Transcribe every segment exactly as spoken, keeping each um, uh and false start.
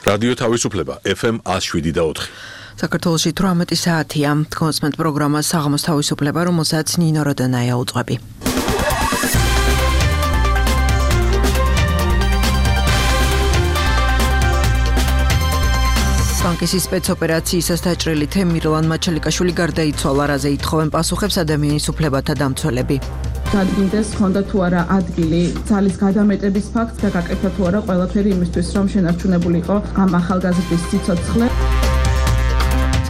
რადიო თავისუფლება ეფ ემ one oh seven და four. საქართველოში თვრამეტი საათია. კონსმენტ პროგრამა საღამოს თავისუფლება, რომელსაც ნინო როდანაია უძღვები. ბანკის სპეცოპერაციისას დაჭრილი თემირლან მაჩალიკაშვილი გარდაიცვალა, რაზე ითხოვენ პასუხებს ადამიანის უფლებათა დამცველები. Დადგინდეს ჰქონდა თუ არა ადგილი ძალის გადამეტების ფაქტს და გაკეთდა თუ არა ყველაფერი იმისთვის, რომ შენარჩუნებული იყო ამ ახალგაზრდის სიცოცხლე.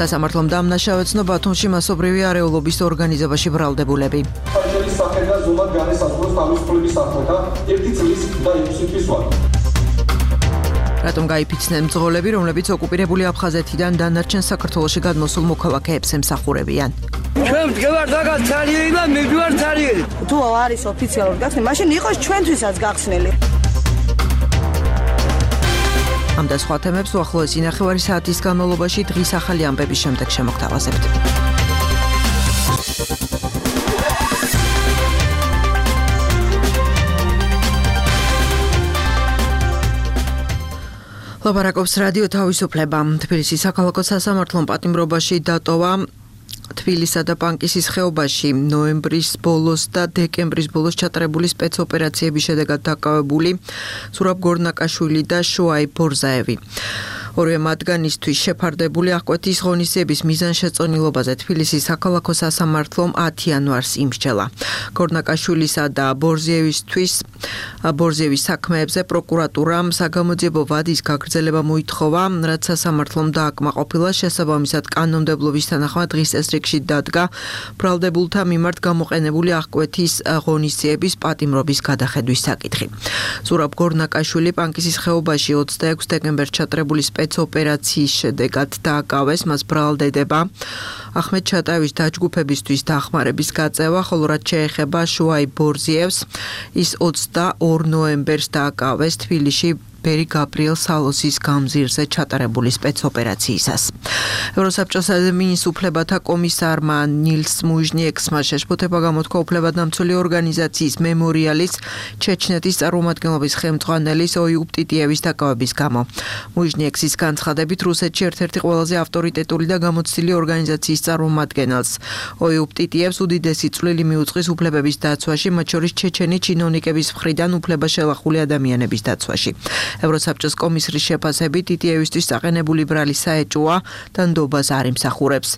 სასამართლომ დამნაშავეცნო ბათუმში მასობრივი არეულობის ორგანიზებაში ბრალდებულები. ფარჯელის სახელდა ზომად განესაზღვროს თავისუფლების საფრთხე ერთი წლის და ექვსი თვის ვადით. რატომ გაიფიცნენ მძღოლები, რომლებიც ოკუპირებული აფხაზეთიდან დანარჩენ საქართველოში გადმოსულ მოქალაქეებს ემსახურებიან? ჩვენ ვდგევართ მაგას ცარიელი და მივდივართ ცარიელი. თუ არის ოფიციალურად გახსნილი, მაშინ იყოს ჩვენთვისაც გახსნილი. ამ და სხვა თემებს უახლოესი ნახევარი საათის განმავლობაში დღის ახალი ამბების შემდეგ შემოგთავაზებთ. ლაპარაკობს რადიო თავისუფლება. თბილისის საქალაქო სასამართლომ პატიმრობაში დატოვა თბილისსა და პანკისის ხეობაში ნოემბრის ბოლოს და დეკემბრის ბოლოს ჩატარებული სპეცოპერაციების შედეგად დაკავებული სურაბ გორნაკაშვილი და შოაი ბორზაევი. ორივე მათგანისთვის შეფარდებული აღკვეთის ღონისძიების მიზანშეწონილობაზე თბილისის საქალაქო სასამართლომ ათი იანვარს იმსჯელა. გორნაკაშვილისა და ბორზიევისთვის ბორზიევის საქმეებზე პროკურატურამ საგამოძიებო ვადის გაგრძელება მოითხოვა, რაც სასამართლომ დააკმაყოფილა. შესაბამისად კანონმდებლობის თანახმად დღის წესრიგში დადგა ბრალდებულთა მიმართ გამოყენებული აღკვეთის ღონისძიების პატიმრობის გადახედვის საკითხი. სურაბ გორნაკაშვილი პანკისის ხეობაში ოცდაექვსი დეკემბერს ჩატარებული სპეცოპერაციის შედეგად დააკავეს, მას ბრალდება ახმედ ჩატაევის დაჯგუფებისთვის დახმარების გაწევა, ხოლო რაც შეეხება შოაი ბორზიევს, ის ოცდაორ ნოემბერს დააკავეს თბილისში ბერი გაბრიელ სალოსის გამზირზე ჩატარებული სპეცოპერაციისას. ევროსაბჭოს ადამიანის უფლებათა კომისარმა ნილს მუჟნიექსმა შეშფოთება გამოთქვა უფლებადამცველი ორგანიზაციის მემორიალის ჩეჩნეთის წარმომადგენლობის ხელმძღვანელის ოიუბ ტიტიევის დაკავების გამო. მუჟნიექსის განცხადებით რუსეთში ერთ-ერთი ყველაზე ავტორიტეტული და გამოცდილი ორგანიზაციის წარმომადგენელს ოიუბ ტიტიევს უდიდესი წვლილი მიუძღვის უფლებების დაცვაში, მათ შორის ჩეჩენი ჩინოვნიკების მხრიდან უფლება შელახული ადამიანების დაცვაში. ევროსაბჭოს კომისრის შეფასებით ტიტიევისთვის საყენებული ბრალი საეჭვოა და ნდობას არ იმსახურებს.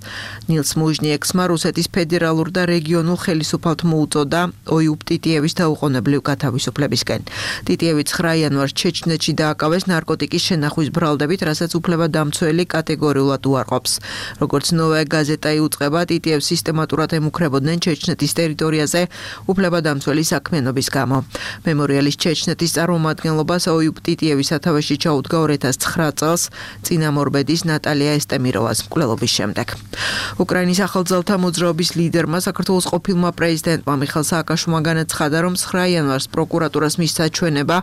ნილს მუჟნიექსმა რუსეთის ფედერალურ და რეგიონულ ხელისუფალთ მოუწოდა ოიუბ ტიტიევის დაუყოვნებლივ გათავისუფლებისკენ. ტიტიევი ცხრა იანვარს ჩეჩნეთში დააკავეს ნარკოტიკის შენახვის ბრალდებით, რასაც უფლებადამცველი კატეგორიულად უარყოფს. როგორც ნოვაია გაზეტა იუწყება, ტიტიევს სისტემატურად ემუქრებოდნენ ჩეჩნეთის ტერიტორიაზე უფლებადამცველი საქმიანობის გამო. მემორიალის ჩეჩნეთის წარმომადგენლობას ოიუბ ტიტიევის სათავეში ჩაუდგა ორ ათას ცხრა წელს წინამორბედის ნატალია ესტემიროვას მკვლელობის შემდეგ. უკრაინის ახალძალთა მოძრაობის ლიდერმა საქართველოს ყოფილმა პრეზიდენტმა მიხეილ სააკაშვილმა განაცხადა, რომ ცხრა იანვარს პროკურატურას მისცა ჩვენება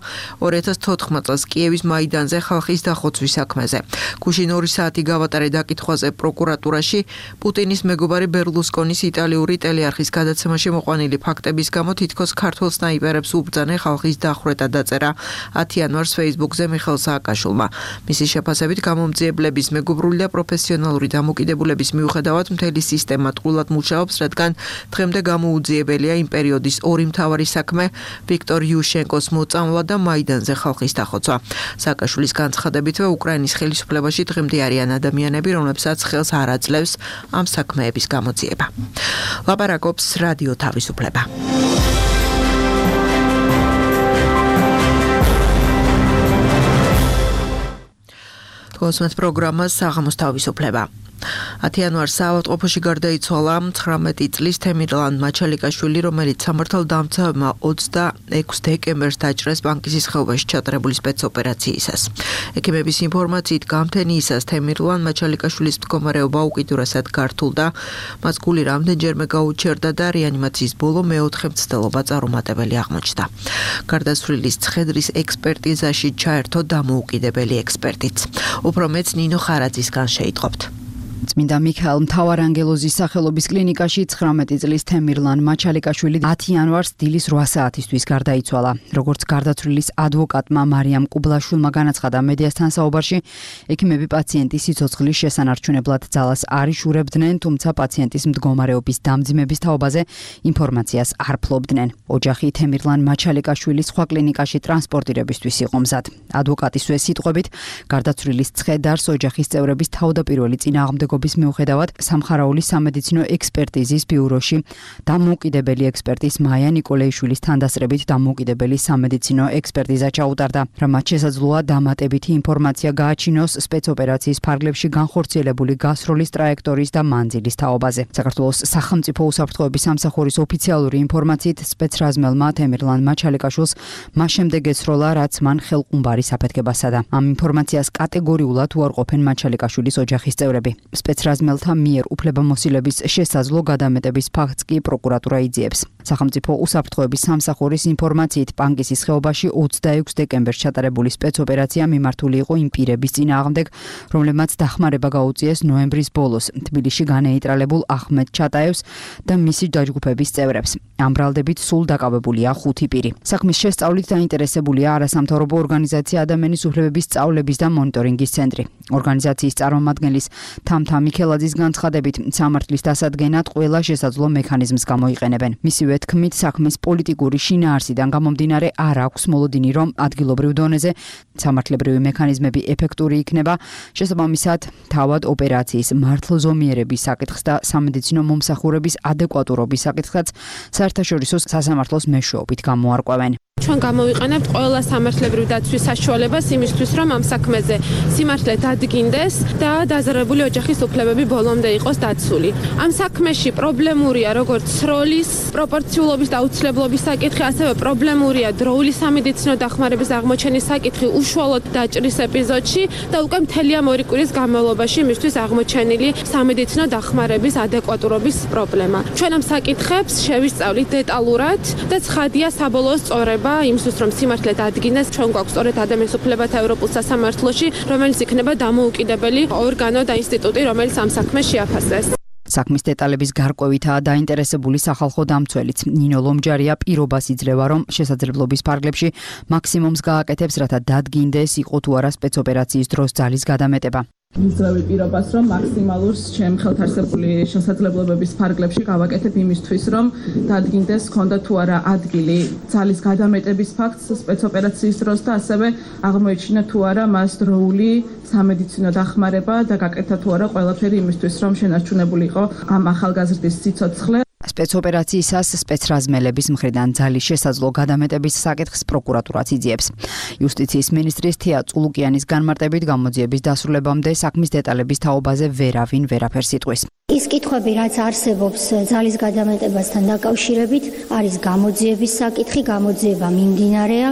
ორ ათას თოთხმეტ წელს კიევის მაიდანზე ხალხის დახოცვის საქმეზე. გუშინ ორი საათი გავატარე დაკითხვაზე პროკურატურაში პუტინის მეგობარი ბერლუსკონის იტალიური ტელეარხის გადაცემაში მოყვანილი ფაქტების გამო თითქოს ქართველ სნაიპერებს უბრძანენ ხალხის დახვრეტა დაწერა ათი იანვარს Facebook-ზე მიხეილ სააკაშვილმა. მისი შეფასებით გამომძიებლების მეგობრული და პროფესიონალური დამოკიდებულების მიუხედავად მთელი სისტემა ტყუილად მუშაობს, რადგან დღემდე გამოუძიებელია იმ პერიოდის ორი მთავარი საქმე ვიქტორ იუშენკოს მოწამვლა და მაიდანზე ხალხის დახოცვა. სააკაშვილის განცხადებითვე უკრაინის ხელისუფლებაში დღემდე არიან ადამიანები, რომლებსაც ხელს არ აძლევს ამ საქმეების გამოძიება. ლაპარაკობს რადიო თავისუფლება. კონსმენტ პროგრამა საღამოს თავისუფლება. ათი იანვარს საავადმყოფოში გარდაიცვალა ცხრამეტი წლის თემირლან მაჩალიკაშვილი, რომელიც სამართალდამცავებმა ოცდაექვსი დეკემბერს დაჭრეს პანკისის ხეობაში ჩატარებული სპეცოპერაციისას. ექიმების ინფორმაციით გამთენიისას თემირლან მაჩალიკაშვილის მდგომარეობა უკიდურესად გართულდა, მას გული რამდენჯერმე გაუჩერდა და რეანიმაციის ბოლო მეოთხე მცდელობა წარუმატებელი აღმოჩნდა. გარდაცვლილის ცხედრის ექსპერტიზაში ჩაერთო დამოუკიდებელი ექსპერტიც. უფრო მეც ნინო ხარაძისგან შეიტყობთ. წმინდა მიქაელ მთავარანგელოზის სახელობის კლინიკაში ცხრამეტი წლის თემირლან მაჩალიკაშვილი ათი იანვარს დილის რვა საათისთვის გარდაიცვალა. როგორც გარდაცვლილის ადვოკატმა მარიამ კუბლაშვილმა განაცხადა მედიასთან საუბარში, ექიმები პაციენტის სიცოცხლის შესანარჩუნებლად ძალას არ იშურებდნენ, თუმცა პაციენტის მდგომარეობის დამძიმების თაობაზე ინფორმაციას არ ფლობდნენ. ოჯახი თემირლან მაჩალიკაშვილის სხვა კლინიკაში ტრანსპორტირებისთვის იყო მზად. ადვოკატისვე სიტყვებით, გარდაცვლილის ცხედარს ოჯახის წევრების თავდაპირველი წინააღმდეგობის მიუხედავად სამხარაულის სამედიცინო ექსპერტიზის ბიუროში დამოუკიდებელი ექსპერტის მაია ნიკოლეიშვილის თანდასწრებით დამოუკიდებელი სამედიცინო ექსპერტიზა ჩაუტარდა, რამაც შესაძლოა დამატებითი ინფორმაცია გააჩინოს სპეცოპერაციის ფარგლებში განხორციელებული გასროლის ტრაექტორიის და მანძილის თაობაზე. საქართველოს სახელმწიფო უსაფრთხოების სამსახურის ოფიციალური ინფორმაციით სპეცრაზმელმა თემირლან მაჩალიკაშვილს მას შემდეგ ეცროლა, რაც მან ხელყუმბარი საფეთქება სცადა. ამ ინფორმაციას კატეგორიულად უარყოფენ მაჩალიკაშვილის ოჯახის წევრები. სპეცრაზმელთა მიერ უფლებამოსილების შესაძლო გადამეტების ფაქტს კი პროკურატურა იძიებს. სახელმწიფო უსაფრთხოების სამსახურის ინფორმაციით პანკისის ხეობაში ოცდაექვსი დეკემბერს ჩატარებული სპეცოპერაცია მიმართული იყო იმ პირების წინააღმდეგ, რომლებმაც დახმარება გაუწიეს ნოემბრის ბოლოს თბილისში განეიტრალებულ ახმედ ჩატაევს და მისი დაჯგუფების წევრებს. ამ ბრალდებით სულ დაკავებულია ხუთი პირი. საქმის შესწავლით დაინტერესებულია არასამთავრობო ორგანიზაცია ადამიანის უფლებების სწავლების და მონიტორინგის ცენტრი. ორგანიზაციის წარმომადგენლის თამთა მიქელაძის განცხადებით, სამართლის დასადგენად ყველა შესაძლო მექანიზმს გამოიყენებენ. მისივე თქმით, საქმის პოლიტიკური შინაარსიდან გამომდინარე არ აქვს მოლოდინი, რომ ადგილობრივ დონეზე სამართლებრივი მექანიზმები ეფექტური იქნება, შესაბამისად, თავად ოპერაციის მართლზომიერების საკითხს და სამედიცინო მომსახურების ადეკვატურობის საკითხსაც საერთაშორისო სასამართლოს მეშვეობით გამოარკვევენ. ჩვენ გამოვიყენებთ ყველა სამართლებრივი დაცვის საშუალებას იმისთვის, რომ ამ საქმეზე სიმართლე დადგინდეს და დაზარალებული ოჯახის უფლებები ბოლომდე იყოს დაცული. ამ საქმეში პრობლემურია როგორც სროლის, პროპორციულობის და აუცილებლობის საკითხი, ასევე პრობლემურია დროული სამედიცინო დახმარების აღმოჩენის საკითხი უშუალოდ დაჭრის ეპიზოდში და უკვე მთელი ამ ორი კვირის განმავლობაში იმისთვის აღმოჩენილი სამედიცინო დახმარების ადეკვატურობის პრობლემა. ჩვენ ამ საკითხებს შევისწავლით დეტალურად და ცხადია საბოლოო სწორება იმისთვის, რომ სიმართლე დადგინდეს, ჩვენ გვაქვს სწორედ ადამიანის უფლებათა ევროპულ სასამართლოში, რომელიც იქნება დამოუკიდებელი ორგანო და ინსტიტუტი, რომელიც ამ საქმეს შეაფასდეს. საქმის დეტალების გარკვევითაა დაინტერესებული სახალხო დამცველიც. ნინო ლომჯარია პირობას იძლევა, რომ შესაძლებლობის ფარგლებში მაქსიმუმს გააკეთებს, რათა დადგინდეს, იყო თუ არა სპეცოპერაციის დროს ძალის გადამეტება. მისძლევი პირობას, რომ მაქსიმალურს ჩემ ხელთ არსებული შესაძლებლობების ფარგლებში გავაკეთებ იმისთვის, რომ დადგინდეს ქონდა თუ არა ადგილი ძალის გადამეტების ფაქტს სპეცოპერაციის დროს და ასევე აღმოეჩინა თუ არა მას დროული სამედიცინო დახმარება და გაკეთა თუ არა ყველაფერი იმისთვის, რომ შენარჩუნებული იყო ამ ახალგაზრდის სიცოცხლე. სპეცოპერაციისას სპეცრაზმელების მხრიდან ძალის შესაძლო გადამეტების საკითხს პროკურატურაც იძიებს. იუსტიციის მინისტრის თია წულუკიანის განმარტებით გამოძიების დასრულებამდე საქმის დეტალების თაობაზე ვერავინ ვერაფერს იტყვის. ის კითხვები, რაც არსებობს ძალის გადამეტებასთან დაკავშირებით, არის გამოძიების საკითხი, გამოძიება მიმდინარეა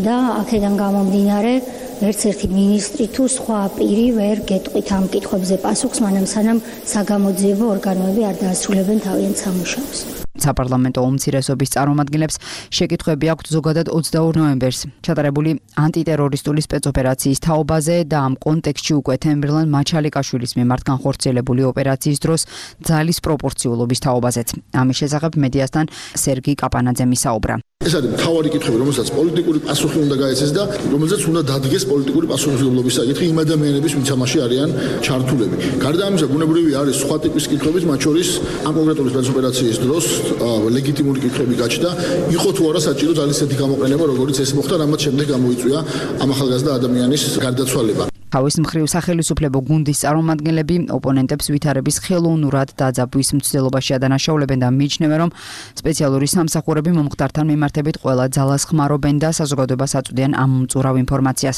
და აქედან გამომდინარე ერთ ერთი მინისტრი თუ სხვა პირი ვერ გეტყვით ამ კითხვებზე პასუხს, მანამ სანამ საგამოძიებო ორგანოები არ დაასრულებენ თავიანთ სამუშაოს. საპარლამენტო უმცირესობის წარმომადგენლებს შეკითხვები აქვთ ზოგადად ოცდაორ ნოემბერს ჩატარებული ანტიტერორისტული სპეცოპერაციის თაობაზე და ამ კონტექსტში უკვე თემირლან მაჩალიკაშვილის მიმართ განხორციელებული ოპერაციის დროს ძალის პროპორციულობის თაობაზეც. ამის შესახებ მედიასთან სერგი კაპანაძემ ისაუბრა. ეს არის მთავარი კითხვები, რომელსაც პოლიტიკური პასუხი უნდა გაეცეს და რომელზეც უნდა დადგეს პოლიტიკური პასუხისმგებლობის საკითხი იმ ადამიანების, ვინც ამაში არიან ჩართულები. გარდა ამისა, ბუნებრივი არის სხვა ტიპის კითხვებიც, მათ შორის ამ კონკრეტული სპეცოპერაციის დროს ლეგიტიმური კითხვები გაჩნდა, იყო თუ არა საჭირო ძალის ესეთი გამოყენება, როგორც ეს მოხდა, რამაც შემდეგ გამოიწვია ამ ახალგაზრდა ადამიანის გარდაცვალება. თავის მხრივ სახელმწიფო გუნდის წარმომადგენლები ოპონენტებს ვითარების ხელოვნურად დაძაბვის მცდელობაში ადანაშაულებენ და მიიჩნევენ, რომ სპეციალური სამსახურები მომხდართან მიმართებით ყველა ძალას ხმარობენ და საზოგადოებას აწვდიან ამ მწურავ ინფორმაციას.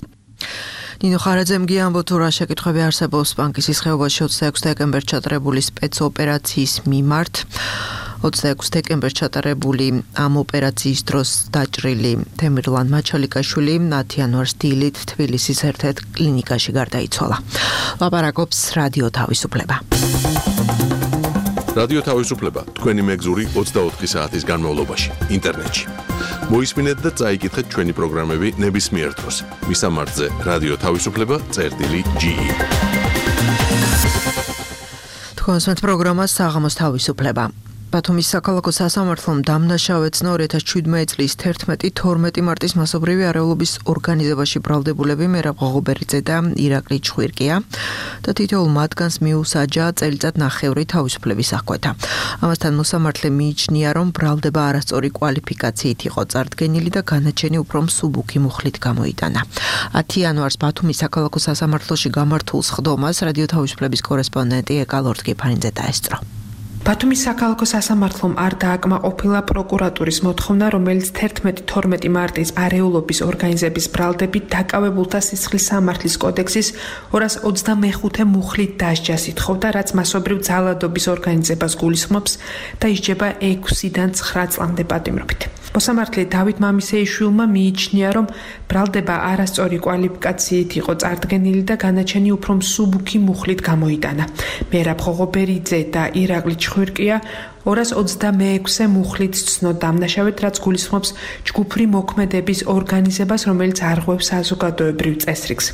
ნინო ხარაძემ გიამბო თუ რა შეკითხვები არსებობს პანკისის ხეობაში ოცდაექვსი დეკემბერს ჩატარებული სპეცოპერაციის მიმართ. ოცდაექვსი დეკემბერს ჩატარებული ამ ოპერაციის დროს დაჭრილი თემირლან მაჩალიკაშვილი ათი იანვარს დილით თბილისის ერთ-ერთ კლინიკაში გარდაიცვალა. ლაპარაკობს რადიო თავისუფლება. რადიო თავისუფლება თქვენი მეგზური ოცდაოთხი საათის განმავლობაში ინტერნეტში. მოისმინეთ და წაიკითხეთ ჩვენი პროგრამები ნებისმიერ დროს. მისამართზე რადიო თავისუფლება წერტილი ჯი. თქვენს პროგრამას საღამოს თავისუფლება. ბათუმის საქალაქო სასამართლომ დამნაშავეც ორი ათას შვიდმეტი წლის თერთმეტი თორმეტი მარტის მასობრივი არეულობის ორგანიზებაში ბრალდებულები მერაბ ღოღობერიძე და ირაკლი ჩხვირკია და თითოეულ მათგანს მიუსაჯა წელიწად ნახევრი თავისუფლების აღკვეთა. ამასთან მოსამართლე მიიჩნია, რომ ბრალდება არასწორი კვალიფიკაციით იყო წარდგენილი და განაჩენი უფრო მსუბუქი მუხლით გამოიტანა. ათი იანვარს ბათუმის საქალაქო სასამართლოში გამართულ სხდომას რადიო თავისუფლების კორესპონდენტი ეკა ლორთგიფანიძე დაესწრო. ბათუმის საქალაქო სასამართლომ არ დააკმაყოფილა პროკურატურის მოთხოვნა, რომელიც თერთმეტი თორმეტი მარტის არეულობის ორგანიზების ბრალდებით დაკავებულთა სისხლის სამართლის კოდექსის ორას ოცდამეხუთე მუხლით დასჯას ითხოვდა, რაც მასობრივ ძალადობის ორგანიზებას გულისხმობს და ისჯება ექვსიდან ცხრა წლამდე პატიმრობით. მოსამართლე დავით მამისეიშვილმა მიიჩნია, რომ ბრალდება არასწორი კვალიფიკაციით იყო წარდგენილი და განაჩენი უფრო მსუბუქი მუხლით გამოიტანა. მერაბ ღოღობერიძე და ირაკლი ჩხვირკია ორას ოცდამეექვსე მუხლით ცნო დამნაშავედ, რაც გულისხმობს ჯგუფური მოქმედების ორგანიზებას, რომელიც არღვევს საზოგადოებრივ წესრიგს.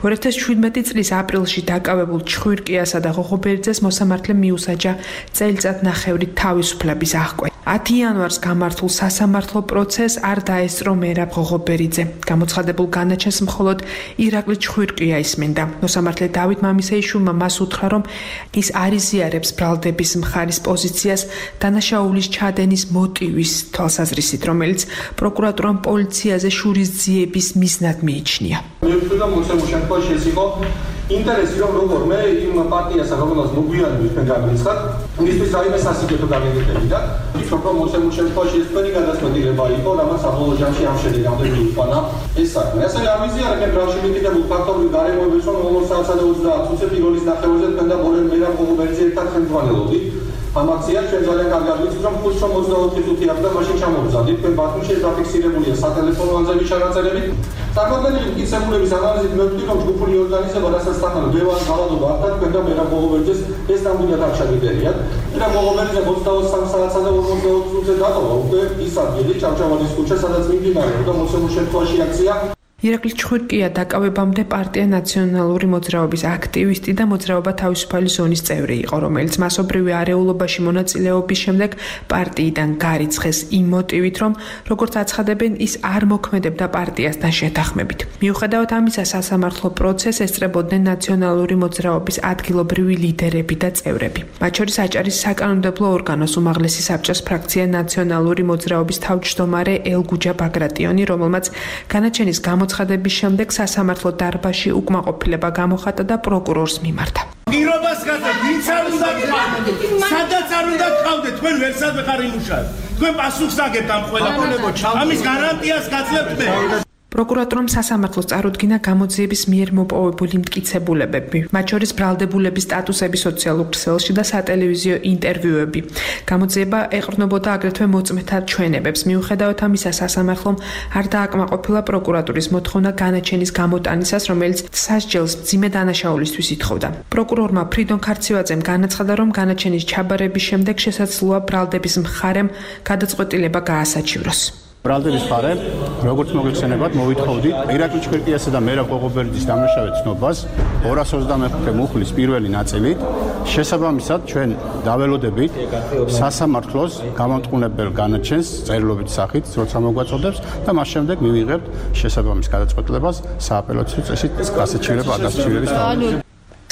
ორი ათას შვიდმეტი წლის აპრილში დაკავებულ ჩხვირკიასა და ღოღობერიძეს მოსამართლემ მიუსაჯა წელიწად ნახევრი თავისუფლების აღკვეთა. ათი იანვარს გამართულ სასამართლო პროცესს არ დაესწრო მერაბ ღოღობერიძე. გამოცხადებულ განაჩენს მხოლოდ ირაკლი ჩხვირკია ისმენდა. მოსამართლე დავით მამისეიშვილმა მას უთხრა, რომ ის არ იზიარებს ბრალდების მხარის პოზიციას დანაშაულის ჩადენის მოტივის თვალსაზრისით, რომელიც პროკურატურამ პოლიციაზე შურისძიების მიზნად მიიჩნია. მეფუძა მოსემო შემთხვევაში ეს იყო ინტერესი, რომ როგორმე იმ პარტიასა, რომელსაც მოგვიანებით თქვენ გამიცხადეთ, მისთვის რაიმე სასიკეთო გამიგებდა. ვფიქრობ, რომ მოსემო შემთხვევაში ეს თქვენი გადაწყვეტილება იყო, რამაც საბოლოო ჯამში ამ შედეგამდე მიიყვანა ეს საქმე. ასე ამიზიარებენ გრაფში მიკიდებულ ფაქტორული გარემოებებს, რომ ორ საათსა და ოცდაათ წუთზე პირველის ნახევრზე თქვენ და ბორელ მერაბ ღოღობერიძე ერთად ხელმძღვანელობდით. ამ აქციას ჩვენ ძალიან კარგად ვიცით, რომ ხუთს ოცდაოთხი წუთი აქვს და მაშინ ჩამოვზადით. თქვენ ბათუმში დაფიქსირებულია სატელეფონო ანზების ჩანაწერებით. წარმოქმნილი მტკიცებულების ანალიზით მევხვდი, რომ ჯგუფური ორგანიზება, რასაც თანხა დევას ღალატობა ახლა თქვენ და მერაბ ღოღობერიძეს ეს ნამდვილად არ ჩაგიდერიათ. მერაბ ღოღობერიძე ოცდაოთხ საათსა და ორმოცდაოთხ წუთზე დატოვა უკვე ის ადგილი ჭავჭავაძის ქუჩა, სადაც მიმდინარეობდა მოსემო შემთხვევაში აქცია. ირაკლი ჩხვირკია დაკავებამდე პარტია ნაციონალური მოძრაობის აქტივისტი და მოძრაობა თავისუფალი ზონის წევრი იყო, რომელიც მასობრივი არეულობაში მონაწილეობის შემდეგ პარტიიდან გარიცხეს იმ მოტივით, რომ როგორც აცხადებენ, ის არ მოქმედებდა პარტიასთან შეთანხმებით. მიუხედავად ამისა, სასამართლო პროცესს ესწრებოდნენ ნაციონალური მოძრაობის ადგილობრივი ლიდერები და წევრები. მათ შორის აჭარის საკანონმდებლო ორგანოს უმაღლესი საბჭოს ფრაქცია ნაციონალური მოძრაობის თავმჯდომარე ელგუჯა ბაგრატიონი, რომელმაც განაჩენის გამო ხადების შემდეგ სასამართლო დარბაზში უკმაყოფილება გამოხატა და პროკურორს მიმართა. პირობას გასცემ, ვინც არ უნდა გყავდეთ, სადაც არ უნდა გყავდეთ, თქვენ ვერსად ვეყარ იმუშავეთ. თქვენ პასუხს აგებთ ამ ყველაფერს. ამის გარანტიას გაძლევთ მე. პროკურატურამ სასამართლოს წარუდგინა გამოძიების მიერ მოპოვებული მტკიცებულებები, მათ შორის ბრალდებულების სტატუსები სოციალურ ქსელში და სატელევიზიო ინტერვიუები. გამოძიება ეყრდნობოდა აგრეთვე მოწმეთა ჩვენებებს. მიუხედავად ამისა, სასამართლომ არ დააკმაყოფილა პროკურატურის მოთხოვნა განაჩენის გამოტანისას, რომელიც სასჯელს მძიმე დანაშაულისთვის ითხოვდა. პროკურორმა ფრიდონ ქარცივაძემ განაცხადა, რომ განაჩენის ჩაბარების შემდეგ შესაძლოა ბრალდების მხარემ გადაწყვეტილება გაასაჩივროს. ბრალდების მხარემ, როგორც მოგეხსენებათ, მოვითხოვდით ირაკლი ჩხვირკიასა და მერაბ ღოღობერიძის დამნაშავედ ცნობას ორას ოცდამეხუთე მუხლის პირველი ნაწილით. შესაბამისად, ჩვენ დაველოდებით სასამართლოს გამამტყუნებელ განაჩენს წერილობით სახით, როცა მოგვაწოდებს და მას შემდეგ მივიღებთ შესაბამის გადაწყვეტილებას სააპელაციო წესით გასაჩივრება ადასტურების თავზე.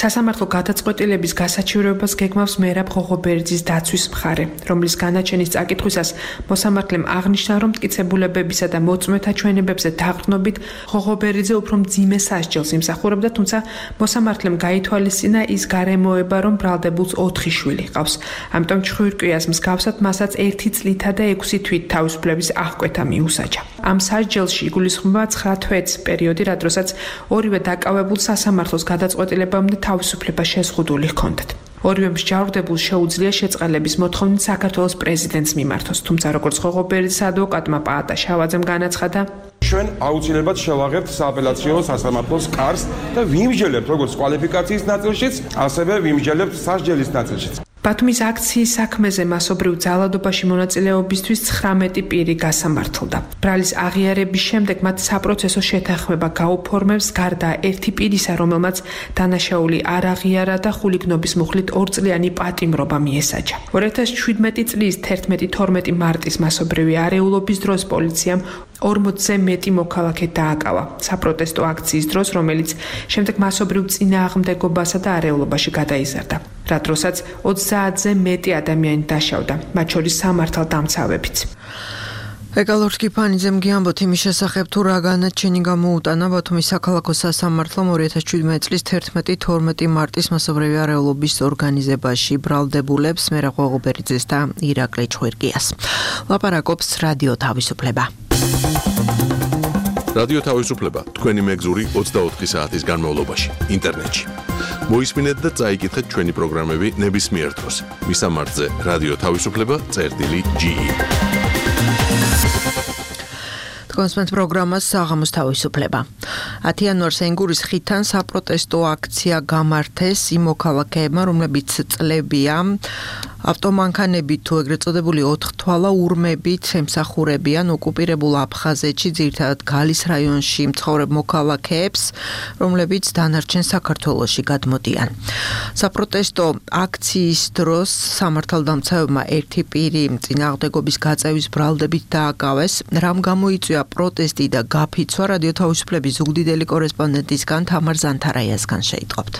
სასამართლო გადაწყვეტილების გასაჩივრებას გეგმავს მერაბ ღოღობერიძის დაცვის მხარე, რომლის განაჩენის წაკითხვისას მოსამართლემ აღნიშნა, რომ მტკიცებულებებისა და მოწმეთა ჩვენებებზე დაყრდნობით ღოღობერიძე უფრო მძიმე სასჯელს იმსახურებდა, თუმცა მოსამართლემ გაითვალისწინა ის გარემოება, რომ ბრალდებულს ოთხი შვილი ჰყავს. ამიტომ ჩხვირკიას მსგავსად მასაც ერთი წლითა და ექვსი თვით თავისუფლების აღკვეთა მიუსაჯა. ამ სასჯელში იგულისხმება ცხრა თვეც პერიოდი, რა დროსაც ორივე დაკავებულ სასამართლოს გადაწყვეტილებამდე თავისუფლება შეზღუდული ჰქონდათ. ორივე მსჯავრდებულს შეუძლია შეწყალების მოთხოვნით საქართველოს პრეზიდენტს მიმართოს, თუმცა როგორც ღოღობერიძის ადვოკატმა პაატა შავაძემ განაცხადა, ჩვენ აუცილებლად შევაღებთ სააპელაციო სასამართლოს კარს და ვიმსჯელებთ როგორც კვალიფიკაციის ნაწილშიც, ასევე ვიმსჯელებთ სასჯელის ნაწილშიც. ბათუმის აქციის საქმეზე მასობრივ ძალადობაში მონაწილეობისთვის ცხრამეტი პირი გასამართლდა. ბრალის აღიარების შემდეგ მათ საპროცესო შეთანხმება გაუფორმებს გარდა ერთი პირისა, რომელმაც დანაშაული არ აღიარა და ხულიგნობის მუხლით ორწლიანი პატიმრობა მიესაჯა. ორი ათას შვიდმეტი წლის თერთმეტი თორმეტი მარტის მასობრივი არეულობის დროს პოლიციამ ორმოცზე მეტი მოქალაქე დააკავა საპროტესტო აქციის დროს, რომელიც შემდეგ მასობრივ წინააღმდეგობასა და არეულობაში გადაიზარდა. რა დროსაც ოცდაათზე მეტი ადამიანი დაშავდა, მათ შორის სამართალდამცავებიც. ეკალორს კიფანიძემ გიამბოთ იმის შესახებ, თუ რა განაჩენი გამოუტანა ბათუმის საქალაქო სასამართლომ ორი ათას შვიდმეტი წლის თერთმეტი თორმეტი მარტის მასობრივი არეულობის ორგანიზებაში ბრალდებულებს მერა ყოღობერიძეს და ირაკლი ჭვირგიას. ლაპარაკობს რადიო თავისუფლება. რადიო თავისუფლება თქვენი მეგზური ოცდაოთხი საათის განმავლობაში ინტერნეტში. მოისმინეთ და წაიკითხეთ ჩვენი პროგრამები ნებისმიერ დროს. მისამართზე რადიო თავისუფლება წერტილი ჯი. კონსპენს პროგრამას საღამოს თავისუფლება. ათი იანვარს ენგურის ხიდთან საპროტესტო აქცია გამართეს იმ მოქალაქეებმა, რომლებიც წლებია ავტომანქანებით თუ ეგრეთ წოდებული ოთხთვალა ურმებით ემსახურებიან ოკუპირებულ აფხაზეთში, ძირითადად გალის რაიონში მცხოვრებ მოქალაქეებს, რომლებიც დანარჩენ საქართველოში გადმოდიან. საპროტესტო აქციის დროს სამართალდამცავებმა ერთი პირი წინააღმდეგობის გაწევის ბრალდებით დააკავეს. რამ გამოიწვია პროტესტი და გაფიცვა, რადიო თავისუფლების ზუგდიდელი კორესპონდენტისგან თამარ ზანთარაიასგან შეიტყობთ.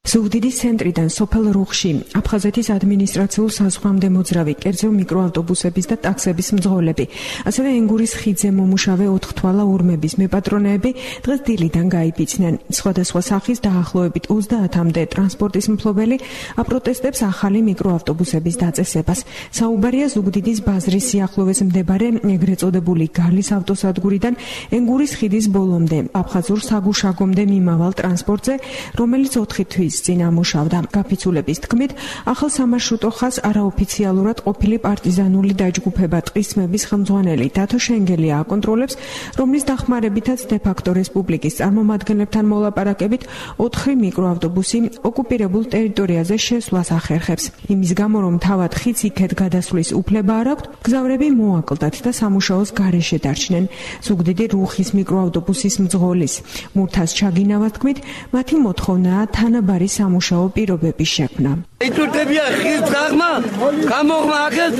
ზუგდიდის ცენტრიდან სოფელ რუხში აფხაზეთის ადმინისტრაციულ საზღვრამდე მოძრავი კერძო მიკროავტობუსების და ტაქსების მძღოლები, ასევე ენგურის ხიდზე მომუშავე ოთხთვალა ურმების მეპატრონეები დღეს დილიდან გაიფიცნენ. სხვადასხვა სახის დაახლოებით ოცდაათამდე ტრანსპორტის მფლობელი აპროტესტებს ახალი მიკროავტობუსების დაწესებას. საუბარია ზუგდიდის ბაზრის სიახლოვეს მდებარე ეგრეთ წოდებული გალის ავტოსადგურიდან ენგურის ხიდის ბოლომდე აფხაზურ საგუშაგომდე მიმავალ ტრანსპორტზე, რომელიც ოთხი თვის წინ ამუშავდა. გაფიცულების თქმით, ახალ სამარშრუტო ხაზს არაოფიციალურად ყოფილი პარტიზანული დაჯგუფება ტყისმების ხელმძღვანელი დათო შენგელია აკონტროლებს, რომლის დახმარებითაც დე-ფაქტო რესპუბლიკის წარმომადგენლებთან მოლაპარაკებით ოთხი მიკროავტობუსი ოკუპირებულ ტერიტორიაზე შესვლას ახერხებს. იმის გამო, რომ თავად ხიდს იქეთ გადასვლის უფლება არ აქვთ, მგზავრები მოაკლდათ და სამუშაოს გარეშე დარჩნენ. ზუგდიდი რუხის მიკროავტობუსის მძღოლის მურთას ჩაგინავას თქმით, მათი მოთხოვნაა თანაბარი სამუშაო პირობების შექმნა. იტურდებია ხის გაღმა, გამოღმა აქეთ,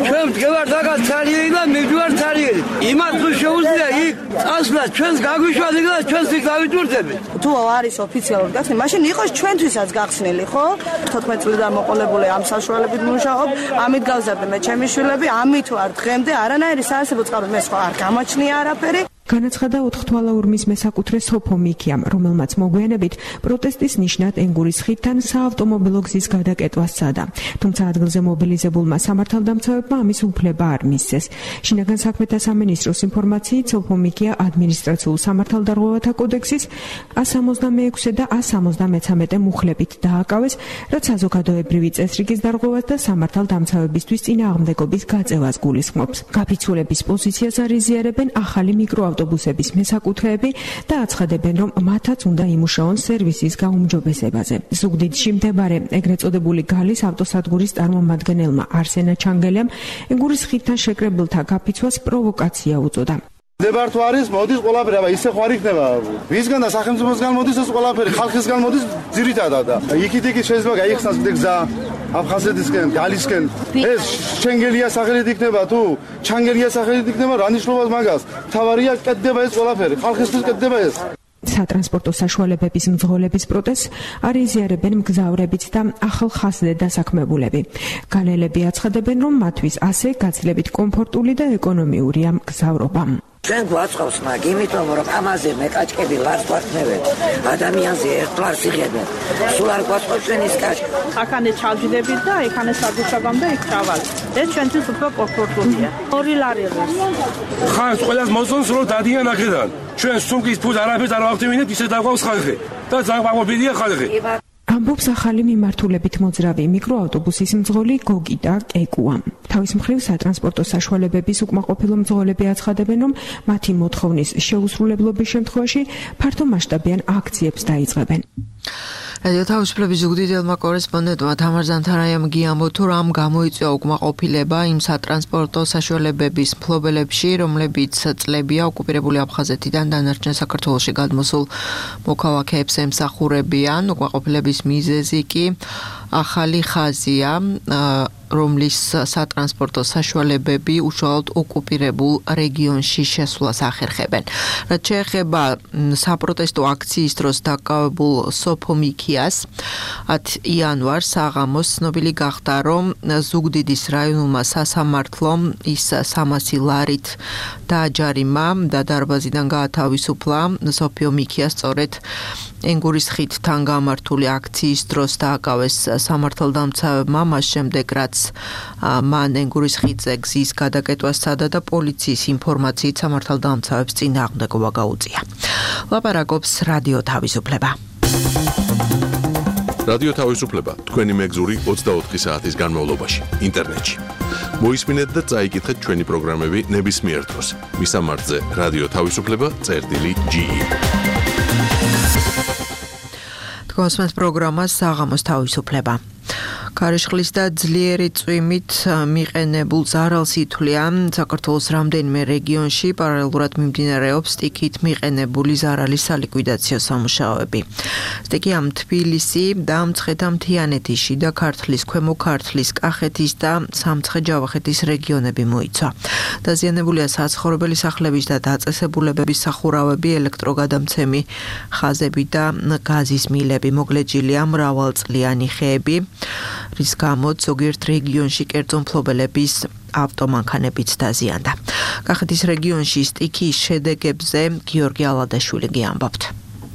ჩვენ ვდგევართ აქ ცარიელი და მივდივართ ცარიელი. იმას თუ შეუძლია იქ წასვლა, ჩვენს გაგვიშვათ იქ და ჩვენს იქ დავიტურდებით. თუ არის ოფიციალურად გახსნილი, მაშინ იყოს ჩვენთვისაც გახსნილი, ხო? თოთხმეტ წლიდან მოყოლებული ამ საშუალებით მუშაობ, ამით გავზარდე მე ჩემი შვილები, ამით ვარ დღემდე არანაირი საარსებო წყარო მე სხვა არ გამოჩნია არაფერი. განაცხადა ოთხთვალა ურმის მესაკუთრე სოფო მიქიამ, რომელმაც მოგვიანებით პროტესტის ნიშნად ენგურის ხიდთან საავტომობილო გზის გადაკეტვა სცადა. თუმცა ადგილზე მობილიზებულმა სამართალდამცავებმა ამის უფლება არ მისცეს. შინაგან საქმეთა სამინისტროს ინფორმაციით, სოფო მიქია ადმინისტრაციულ სამართალდარღვევათა კოდექსის ას სამოცდამეექვსე და ას სამოცდამეცამეტე მუხლებით დააკავეს, რაც საზოგადოებრივი წესრიგის დარღვევას და სამართალდამცავებისთვის წინააღმდეგობის გაწევას გულისხმობს. გაფიცულების პოზიციას არიზიარებენ ახალი მიკრო ავტობუსების მესაკუთრეები და აცხადებენ, რომ მათაც უნდა იმუშაონ სერვისის გაუმჯობესებაზე. ზუგდიდში მდებარე ეგრეთ წოდებული გალის ავტოსადგურის წარმომადგენელმა არსენა ჩანგელიამ ენგურის ხიდთან შეკრებილთა გაფიცვას პროვოკაცია უწოდა. დებართო არის, მოდის ყველაფერი, აბა ისე ხო არ იქნება. ვისგან და სახელმწიფოსგან მოდის ეს ყველაფერი, ხალხისგან მოდის ძირითადად და იქით-იქით შეიძლება გაიხსნას გზა აფხაზეთისკენ, გალისკენ. ეს ჩენგელია სახელით იქნება თუ ჩანგელია სახელით იქნება, რა ნიშნავს მაგას? თავარია კეთდება ეს ყველაფერი, ხალხისთვის კეთდება ეს. სატრანსპორტო საშუალებების მძღოლების პროტესტს არიზიარებენ მგზავრებიც და ახალ ხაზზე დასაქმებულები. განელები აცხადებენ, რომ მათთვის ასე გაცილებით კომფორტული და ეკონომიურია მგზავრობა. ჩვენ გვაწყობს მაგ იმიტომ რომ ამაზე მეკაჭკები ლარს გვაქმნებენ ადამიანზე ერთ ლარს იღებენ სულ არ გვაწყობს ჩვენის კაჭკი აქანე ჩავჯდებით და იქანე საგუშაგამდე იქ ჩავალ ეს ჩვენთვის უფრო კომფორტულია ორი ლარი ღირს ხანს ყველას მოსწონს რომ დადიან აქედან ჩვენ სუმკის ფულს არაფერს არ ვახდევინებთ ისე დაგვაქვს ხალხი და ზაღბაღობილია ხალხი ამბობს ახალი მიმართულებით მოძრავი მიკროავტობუსის მძღოლი გოგიტა კეკუა. თავის მხრივ სატრანსპორტო საშუალებების უკმაყოფილო მძღოლები აცხადებენ, რომ მათი მოთხოვნის შეუსრულებლობის შემთხვევაში ფართომასშტაბიან აქციებს დაიწყებენ. რადიო თავისუფლების ზუგდიდელმა კორესპონდენტმა თამარ ზანთარაიამ გიამბო თუ რამ გამოიწვია უკმაყოფილება იმ სატრანსპორტო საშუალებების მფლობელებში, რომლებიც წლებია ოკუპირებული აფხაზეთიდან დანარჩენ საქართველოში გადმოსულ მოქალაქეებს ემსახურებიან. უკმაყოფილების მიზეზი კი ახალი ხაზია, რომლის სატრანსპორტო საშუალებები უშუალოდ ოკუპირებულ რეგიონში შესვლას ახერხებენ. რაც შეეხება საპროტესტო აქციის დროს დაკავებულ სოფო მიქიას, ათი იანვარს საღამოს ცნობილი გახდა, რომ ზუგდიდის რაიონულმა სასამართლომ ის სამასი ლარით დააჯარიმა და დარბაზიდან გაათავისუფლა სოფიო მიქიას სწორედ ენგურის ხიდთან გამართული აქციის დროს დააკავეს სამართალდამცავებმა, მას შემდეგ რაც მან ენგურის ხიდზე გზის გადაკეტვა სცადა და პოლიციის ინფორმაციით სამართალდამცავებს წინააღმდეგობა გაუწია. ლაპარაკობს რადიო თავისუფლება. რადიო თავისუფლება თქვენი მეგზური ოცდაოთხი საათის განმავლობაში ინტერნეტში. მოისმინეთ და წაიკითხეთ ჩვენი პროგრამები ნებისმიერ დროს. მისამართზე რადიო თავისუფლება წერტილი ჯი ი. თქვენს პროგრამას საღამოს თავისუფლება. ქარიშხლის და ძლიერი წვიმით მიყენებულ ზარალს ითვლიან საქართველოს რამდენიმე რეგიონში პარალელურად მიმდინარეობს სტიქით მიყენებული ზარალის სალიკვიდაციო სამუშაოები. სტიქი ამ თბილისი და მცხეთა-მთიანეთის, შიდა ქართლის, ქვემო ქართლის, კახეთის და სამცხე-ჯავახეთის რეგიონები მოიცვა. დაზიანებულია საცხოვრებელი სახლების და დაწესებულებების სახურავები, ელექტროგადამცემი ხაზები და გაზის მილები. მოგლეჯილია მრავალწლიანი ხეები, რის გამოც ზოგიერთ რეგიონში კერძო მფლობელების ავტომანქანებიც დაზიანდა. კახეთის რეგიონში სტიქიის შედეგებზე გიორგი ალადაშვილი გიამბობთ.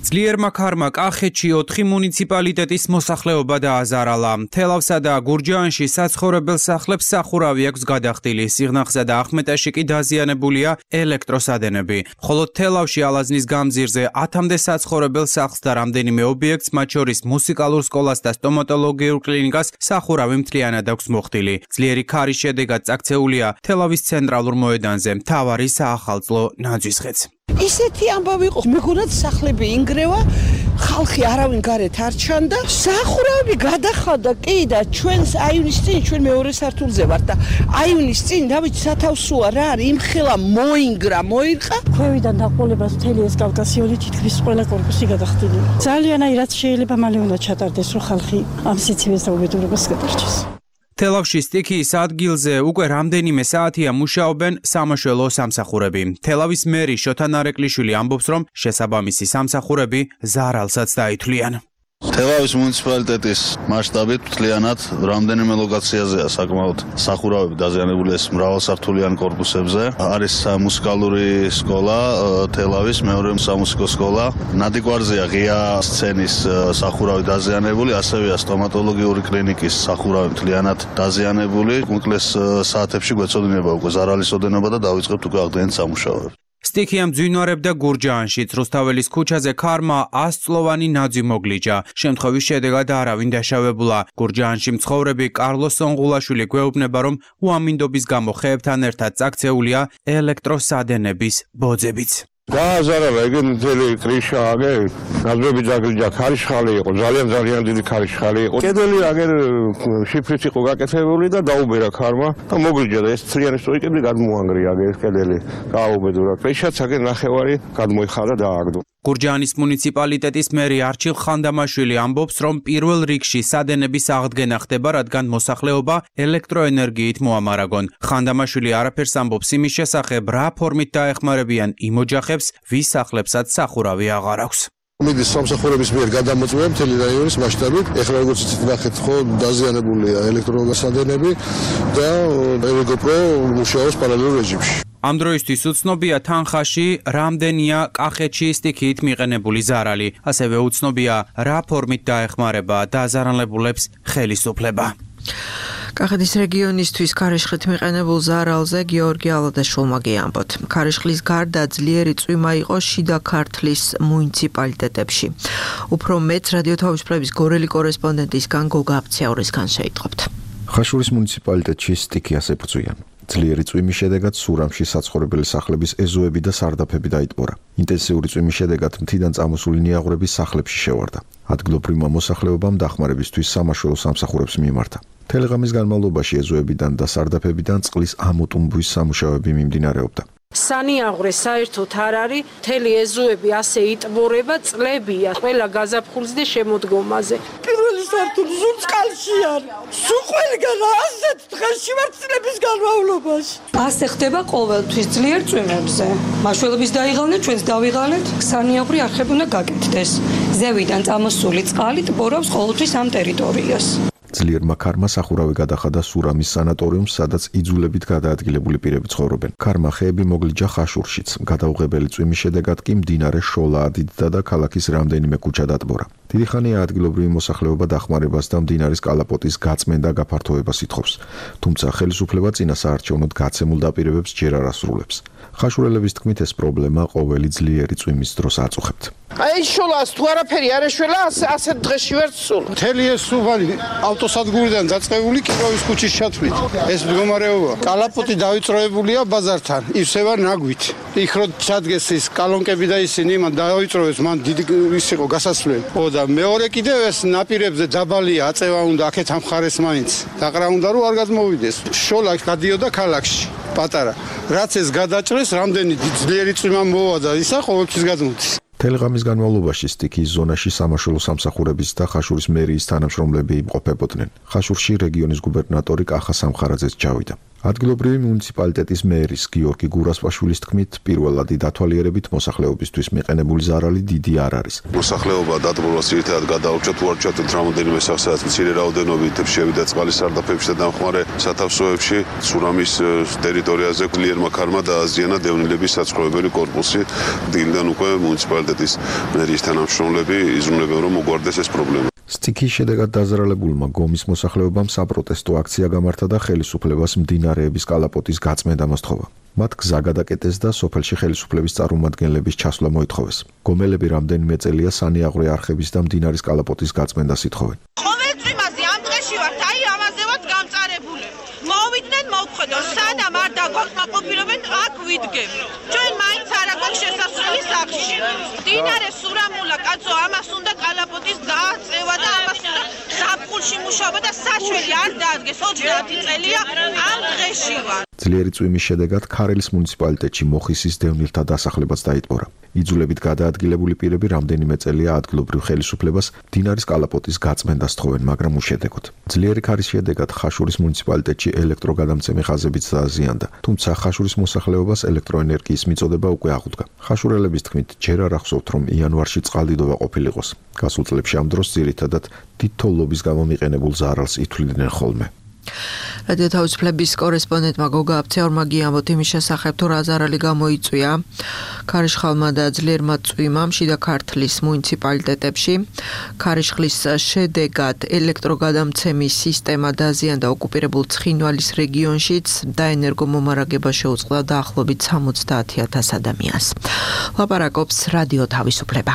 ძლიერმა ქარმა კახეთში ოთხი მუნიციპალიტეტის მოსახლეობა დააზარალა. თელავსა და გურჯაანში საცხოვრებელ სახლებს სახურავი აქვს გადახდილი. სიღნაღსა და ახმეტაში კი დაზიანებულია ელექტროსადენები. ხოლო თელავში ალაზნის გამზირზე ათამდე საცხოვრებელ სახლს და რამდენიმე ობიექტს, მათ შორის მუსიკალურ სკოლას და სტომატოლოგიურ კლინიკას სახურავი მთლიანად აქვს მოხდილი. ძლიერი ქარის შედეგად წაქცეულია თელავის ცენტრალურ მოედანზე მთავარი საახალწლო ნაძვისხეც. ისეთი ამბავი იყო, მეგონად სახლები ინგრევა, ხალხი არავინ გარეთ არ ჩანდა, სახურავები გადახადა კი და ჩვენს აივნის წინ, ჩვენ მეორე სართულზე ვართ და აივნის წინ დავით სათავსოა რა არის, იმხელა მოინგრა, მოირყა. ქვევიდან დაყოლებას მთელი ეს კავკასიონი თითქმის ყველა კორპუსი გადახდილია. ძალიან აი რაც შეიძლება მალე უნდა ჩატარდეს, რომ ხალხი ამ სიცივეს და უბედურებას გადარჩეს. თელავში სტიქიის ადგილზე უკვე რამდენიმე საათია მუშაობენ სამაშველო სამსახურები. თელავის მერი შოთა ნარეკვლიშვილი ამბობს, რომ შესაბამისი სამსახურები ზარალსაც დაითვლიან. თელავის მუნიციპალიტეტის მასშტაბით მთლიანად რამდენიმე ლოკაციაზეა საკმაოდ სახურავები დაზიანებული ეს მრავალსართულიან კორპუსებზე. არის მუსიკალური სკოლა, თელავის მეორე სამუსიკო სკოლა. ნადიგვარზეა ღია სცენის სახურავი დაზიანებული, ასევეა სტომატოლოგიური კლინიკის სახურავი მთლიანად დაზიანებული. უმკლეს საათებში გვეცოდინება უკვე ზარალის ოდენობა და დავიწყებთ უკვე აღდგენით სამუშაოებს. სტიქი ამძვინვარებდა გურჯაანშიც, რუსთაველის ქუჩაზე ქარმა ასწლოვანი ნაძვი მოგლიჯა. შემთხვევის შედეგად არავინ დაშავებულა. გურჯაანში მცხოვრები კარლოს სონღულაშვილი გვეუბნება, რომ უამინდობის გამო ხეებთან ერთად წაქცეულია ელექტროსადენების ბოძებიც. გააზარალა იგი მთელი კრიშა აგე ნაძვები ძაგლიჯა, ქარიშხალი იყო, ძალიან ძალიან დიდი ქარიშხალი იყო. კედელი აგერ შიფრით იყო გაკეთებული და დაუბერა ქარმა და მოგლიჯა და ეს ცრიანი სტროიკები გადმოანგრია აგე ეს კედელი. გააუბედურა. კრიშაც აგე ნახევარი გადმოიხარა და ააგდო. გურჯაანის მუნიციპალიტეტის მერი არჩილ ხანდამაშვილი ამბობს, რომ პირველ რიგში სადენების აღდგენა ხდება, რადგან მოსახლეობა ელექტროენერგიით მოამარაგონ. ხანდამაშვილი არაფერს ამბობს იმის შესახებ, რა ფორმით დაეხმარებიან იმ ოჯახებს, ვის სახლებსაც სახურავი აღარ აქვს. მიდის სამსახურების მიერ გადამოწმება მთელი რაიონის მასშტაბით. ეხლა როგორც იცით, ნახეთ ხო, დაზიანებულია ელექტროსადენები და ელექტრო მუშაობს პარალელურ რეჟიმში. ამ დროისთვის უცნობია თანხაში რამდენია კახეთში სტიქიით მიყენებული ზარალი. ასევე უცნობია რა ფორმით დაეხმარება დაზარალებულებს ხელისუფლება. კახეთის რეგიონისთვის ქარიშხლით მიყენებულ ზარალზე გიორგი ალადაშვილმა გიამბოთ. ქარიშხლის გარდა ძლიერი წვიმა იყო შიდა ქართლის მუნიციპალიტეტებში. უფრო მეტ რადიო თავისუფლების გორელი კორესპონდენტისგან გოგა აფციაურისგან შეიტყობთ. ხაშურის მუნიციპალიტეტში სტიქი ასე ბრძვიან. ძლიერი წვიმის შედეგად სურამში საცხოვრებელი სახლების ეზოები და სარდაფები დაიტბორა. ინტენსიური წვიმის შედეგად მთიდან წამოსული ნიაღვრები სახლებში შევარდა. ადგილობრივმა მოსახლეობამ დახმარებისთვის სამაშველო სამსახურებს მიმართა. მთელი ღამის განმავლობაში ეზოებიდან და სარდაფებიდან წყლის ამოტუმბვის სამუშაოები მიმდინარეობდა. სანიაღვრე საერთოდ არ არის, მთელი ეზოები ასე იტბორება, წლებია ყველა გაზაფხულზე და შემოდგომაზე. პირველი სართული სულ წყალში არის. სულ ყველგან ასეთ დღეში ვარ წლების განმავლობაში. ასე ხდება ყოველთვის ძლიერ წვიმებზე. მაშველების დაიღალნენ, ჩვენც დავიღალეთ. სანიაღვრე არხები უნდა გაკეთდეს. ზევიდან წამოსული წყალი ტბორავს ყოველთვის ამ ტერიტორიას. ძლიერმა ქარმა სახურავი გადახადა სურამის სანატორიუმს, სადაც იძულებით გადაადგილებული პირები ცხოვრობენ. ქარმა ხეები მოგლიჯა ხაშურშიც. გადაუღებელი წვიმის შედეგად კი მდინარე შოლა ადიდდა და ქალაქის რამდენიმე ქუჩა დატბორა. დიდი ხანია ადგილობრივი მოსახლეობა დახმარებას და მდინარის კალაპოტის გაწმენდა გაფართოებას ითხოვს. თუმცა ხელისუფლება წინასაარჩევნოდ გაცემულ დაპირებებს ჯერ არ ასრულებს. ხაშურელების თქმით, ეს პრობლემა ყოველი ძლიერი წვიმის დროს აწუხებთ. აი შოლას თუ არაფერი არ ეშველა, ასეთ დღეში ვერ ცულ. მთელი ეს სუბანი ავტოსადგურიდან დაწყებული კიროვის ქუჩის ჩათვლით. ეს მდგომარეობა კალაპოტი დავიწროებულია ბაზართან, ისევა ნაგვით. იქ რო ჩადგეს ის კალონკები და ისინი მან დავიწროეს, მან დიდი ის იყო გასასვლელი. ო და მეორე კიდევ ეს ნაპირებზე დაბალია, აწევა უნდა აქეთ ამ ხარეს მაინც. დაყრა უნდა რომ არ გადმოვიდეს. შოლა გადიოდა ქალაქში. პატარა. რაც ეს გადაჭრეს, რამდენი ძლიერი წვიმა მოვა და ისა ყოველთვის გადმოდის. მთელი ღამის განმავლობაში სტიქიის ზონაში სამაშველო სამსახურების და ხაშურის მერიის თანამშრომლები იმყოფებოდნენ. ხაშურში რეგიონის გუბერნატორი კახა სამხარაძეც ჩავიდა. ადგილობრივი მუნიციპალიტეტის მერის გიორგი გურასპაშვილის თქმით, პირველადი დათვალიერებით მოსახლეობისთვის მიყენებული ზარალი დიდი არ არის. მოსახლეობა დატბორვას ერთად გადაურჩათ უარჩათ რამოდენიმე სახსაც მცირე რაოდენობით შევიდა წყალის სარდაფებში და დამხმარე სათავსოებში. სურამის ტერიტორიაზე ძლიერმა ქარმა დააზიანა დევნილების საცხოვრებელი კორპუსი. დილიდან უკვე მუნიციპალიტეტის მერის თანამშრომლები იზრუნებენ, რომ მოგვარდეს ეს პრობლემა. სტიქიის შედეგად დაზარალებულმა გომის მოსახლეობამ საპროტესტო აქცია გამართა და ხელისუფლებას მდინარეების კალაპოტის გაწმენდა მოსთხოვა. მათ გზა გადაკეტეს და სოფელში ხელისუფლების წარმომადგენლების ჩასვლა მოითხოვეს. გომელები რამდენიმე წელია სანიაღვრე არხების და მდინარის კალაპოტის გაწმენდას ითხოვენ. ყოველ წვიმაზე ამ დღეში ვართ, აი ამაზე ვართ გამწარებული. მოვიდნენ მოვხედოთ, სანამ არ დაგვაკმაყოფილებენ, აქ ვიდგებ. ჩვენ მაინც არ აქვს შესასვლელი სახლში. მდინარე სურამულა კაცო, ამას უნდა კალაპოტის დააწევა და ამას უნდა ზაფხულში მუშაობა და საშველი არ დაადგეს. ოცდაათი წელია ამ დღეში ვარ. ძლიერი წვიმის შედეგად ქარელის მუნიციპალიტეტში მოხისის დევნილთა დასახლებაც დაიტბორა. იძულებით გადაადგილებული პირები რამდენიმე წელია ადგილობრივ ხელისუფლებას მდინარის კალაპოტის გაწმენდას თხოვენ, მაგრამ უშედეგოდ. ძლიერი ქარის შედეგად ხაშურის მუნიციპალიტეტში ელექტროგადამცემი ხაზებიც დააზიანდა, თუმცა ხაშურის მოსახლეობას ელექტროენერგიის მიწოდება უკვე აღუდგა. ხაშურელების თქმით, ჯერ არ ახსოვთ, რომ იანვარში წყალდიდობა ყოფილიყოს. გასულ წლებში ამ დროს ძირითადად დიდ თოვლობის გამო მიყენებულ ზარალს ითვლიდნენ ხოლმე. რადიო თავისუფლების კორესპონდენტმა გოგა აბცეორმა გიამბოთ იმის შესახებ, თუ რა ზარალი გამოიწვია ქარიშხალმა და ძლიერმა წვიმამ შიდა ქართლის მუნიციპალიტეტებში. ქარიშხლის შედეგად ელექტროგადამცემის სისტემა დაზიანდა ოკუპირებულ ცხინვალის რეგიონშიც და ენერგომომარაგება შეუწყდა დაახლოებით სამოცდაათი ათას ადამიანს. ლაპარაკობს რადიო თავისუფლება.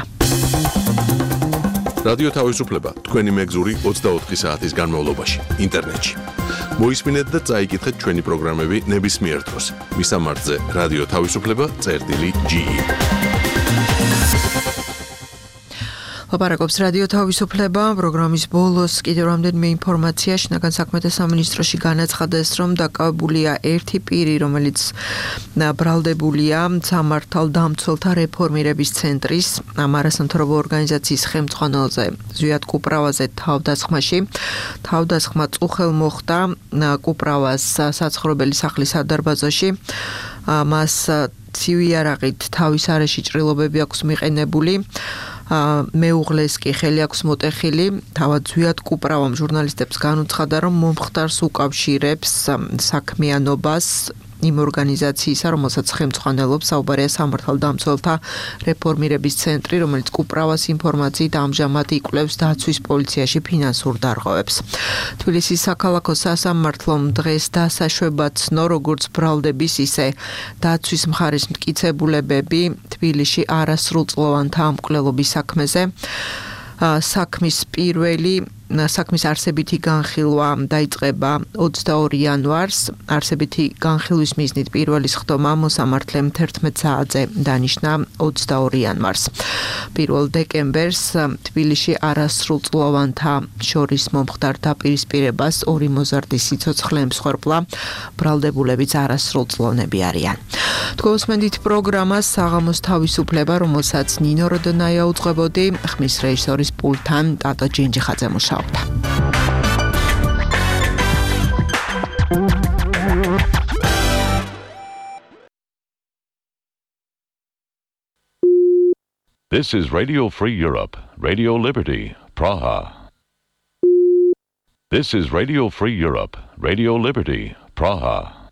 რადიო თავისუფლება თქვენი მეგზური ოცდაოთხი საათის განმავლობაში ინტერნეტში. მოისმინეთ და წაიკითხეთ ჩვენი პროგრამები ნებისმიერ დროს. მისამართზე რადიო თავისუფლება წერტილი ჯი. ლაპარაკობს რადიო თავისუფლება. პროგრამის ბოლოს კიდევ რამდენიმე ინფორმაცია. შინაგან საქმეთა სამინისტროში განაცხადეს, რომ დაკავებულია ერთი პირი, რომელიც ბრალდებულია სამართალდამცველთა რეფორმირების ცენტრის არასამთავრობო ორგანიზაციის ხელმძღვანელზე ზვიად კუპრავაზე თავდასხმაში. თავდასხმა წუხელ მოხდა კუპრავას საცხოვრებელი სახლის სადარბაზოში. მას ცივი იარაღით თავის არეში ჭრილობები აქვს მიყენებული. მეუღლეს კი ხელი აქვს მოტეხილი. თავად ზვიად კუპრავამ ჟურნალისტებს განუცხადა, რომ მომხდარს უკავშირებს საქმიანობას იმ ორგანიზაციისა, რომელსაც ხელმძღვანელობს, საუბარია სამართალდამცველთა რეფორმირების ცენტრი, რომელიც კუპრავას ინფორმაციით ამჟამად იკვლევს დაცვის პოლიციაში ფინანსურ დარღვევებს. თბილისის საქალაქო სასამართლომ დღეს დასაშვებად ცნო, როგორც ბრალდების, ისე დაცვის მხარის მტკიცებულებები თბილისში არასრულწლოვანთა ამკვლელობის საქმეზე. საქმის პირველი საქმის არსებითი განხილვა დაიწყება ოცდაორი იანვარს. არსებითი განხილვის მიზნით პირველი სხდომა მოსამართლემ თერთმეტ საათზე დანიშნა ოცდაორი იანვარს. პირველ დეკემბერს თბილისში არასრულწლოვანთა შორის მომხდარ დაპირისპირებას ორი მოზარდი სიცოცხლე ემსხვერპლა, ბრალდებულებიც არასრულწლოვნები არიან. თქვენსმენდით პროგრამას საღამოს თავისუფლება, რომელსაც ნინო როდონაია უძღვებოდი, ხმის რეჟისორის პულტთან ტატო ჯინჯიხაძე მუშაობდა. This is Radio Free Europe, Radio Liberty, Praha. This is Radio Free Europe, Radio Liberty, Praha.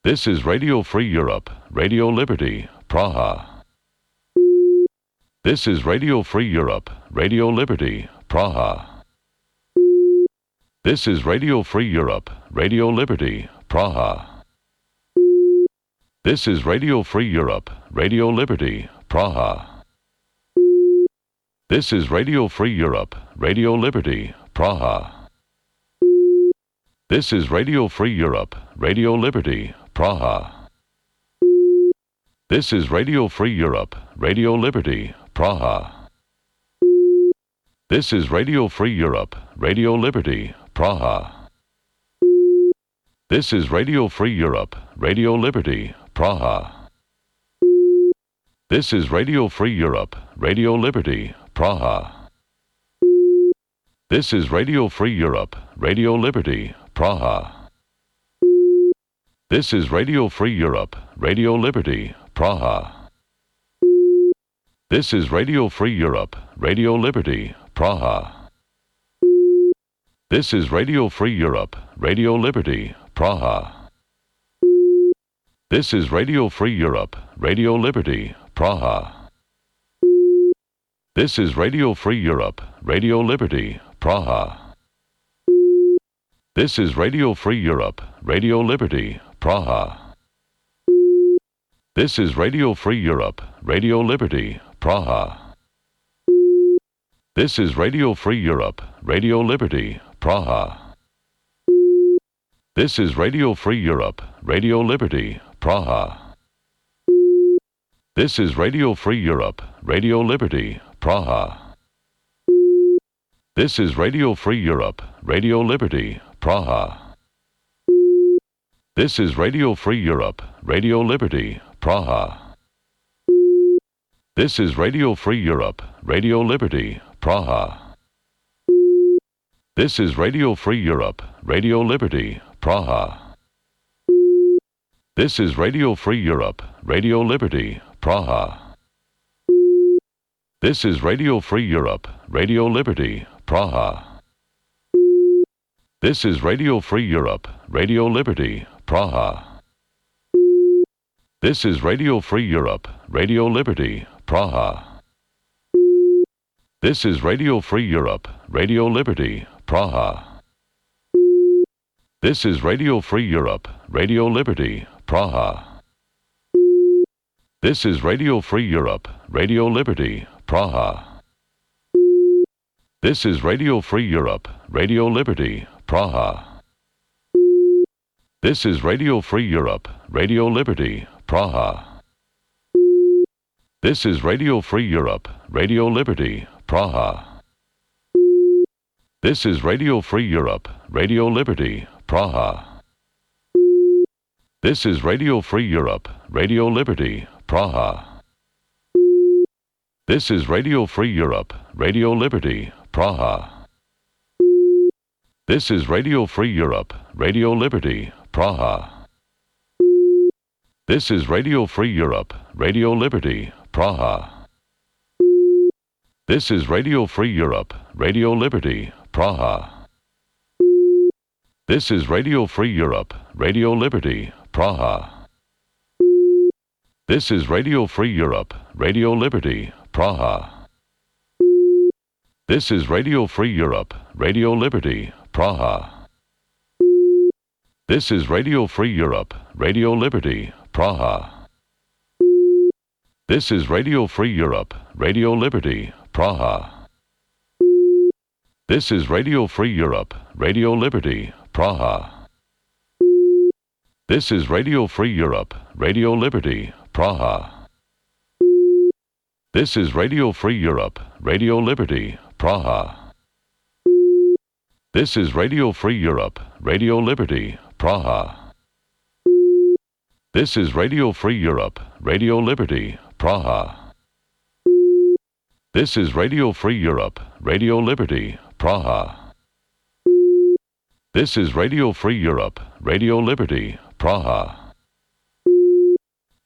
This is Radio Free Europe, Radio Liberty, Praha. This is Radio Free Europe, Radio Liberty, Praha. This is Radio Free Europe, Radio Liberty, Praha. This is Radio Free Europe, Radio Liberty, Praha. This is Radio Free Europe, Radio Liberty, Praha. This is Radio Free Europe, Radio Liberty, Praha. This is Radio Free Europe, Radio Liberty, Praha. This is Radio Free Europe, Radio Liberty, Praha. This is Radio Free Europe, Radio Liberty, Praha. This is Radio Free Europe, Radio Liberty, Praha. This is Radio Free Europe, Radio Liberty, Praha. This is Radio Free Europe, Radio Liberty, Praha. This is Radio Free Europe, Radio Liberty, Praha. This is Radio Free Europe, Radio Liberty, Praha. This is Radio Free Europe, Radio Liberty, Praha. This is Radio Free Europe, Radio Liberty, Praha. This is Radio Free Europe, Radio Liberty, Praha. This is Radio Free Europe, Radio Liberty, Praha. This is Radio Free Europe, Radio Liberty, Praha. This is Radio Free Europe, Radio Liberty, Praha. This is Radio Free Europe, Radio Liberty, Praha. This is Radio Free Europe, Radio Liberty, Praha. This is Radio Free Europe, Radio Liberty, Praha. This is Radio Free Europe, Radio Liberty, Praha. This is Radio Free Europe, Radio Liberty, Praha. This is Radio Free Europe, Radio Liberty, Praha. This is Radio Free Europe, Radio Liberty, Praha. This is Radio Free Europe, Radio Liberty, Praha. This is Radio Free Europe, Radio Liberty, Praha. This is Radio Free Europe, Radio Liberty, Praha. This is Radio Free Europe, Radio Liberty, Praha. This is Radio Free Europe, Radio Liberty, Praha. This is Radio Free Europe, Radio Liberty, Praha. This is Radio Free Europe, Radio Liberty, Praha. This is Radio Free Europe, Radio Liberty, Praha. This is Radio Free Europe, Radio Liberty, Praha. This is Radio Free Europe, Radio Liberty, Praha. This is Radio Free Europe, Radio Liberty, Praha. This is Radio Free Europe, Radio Liberty, Praha. This is Radio Free Europe, Radio Liberty, Praha. This is Radio Free Europe, Radio Liberty, Praha. This is Radio Free Europe, Radio Liberty, Praha. This is Radio Free Europe, Radio Liberty, Praha. This is Radio Free Europe, Radio Liberty, Praha. This is Radio Free Europe, Radio Liberty, Praha. This is Radio Free Europe, Radio Liberty, Praha. This is Radio Free Europe, Radio Liberty, Praha. This is Radio Free Europe, Radio Liberty, Praha. This is Radio Free Europe, Radio Liberty, Praha. This is Radio Free Europe, Radio Liberty, Praha. This is Radio Free Europe, Radio Liberty, Praha. This is Radio Free Europe, Radio Liberty, Praha. This is Radio Free Europe, Radio Liberty, Praha.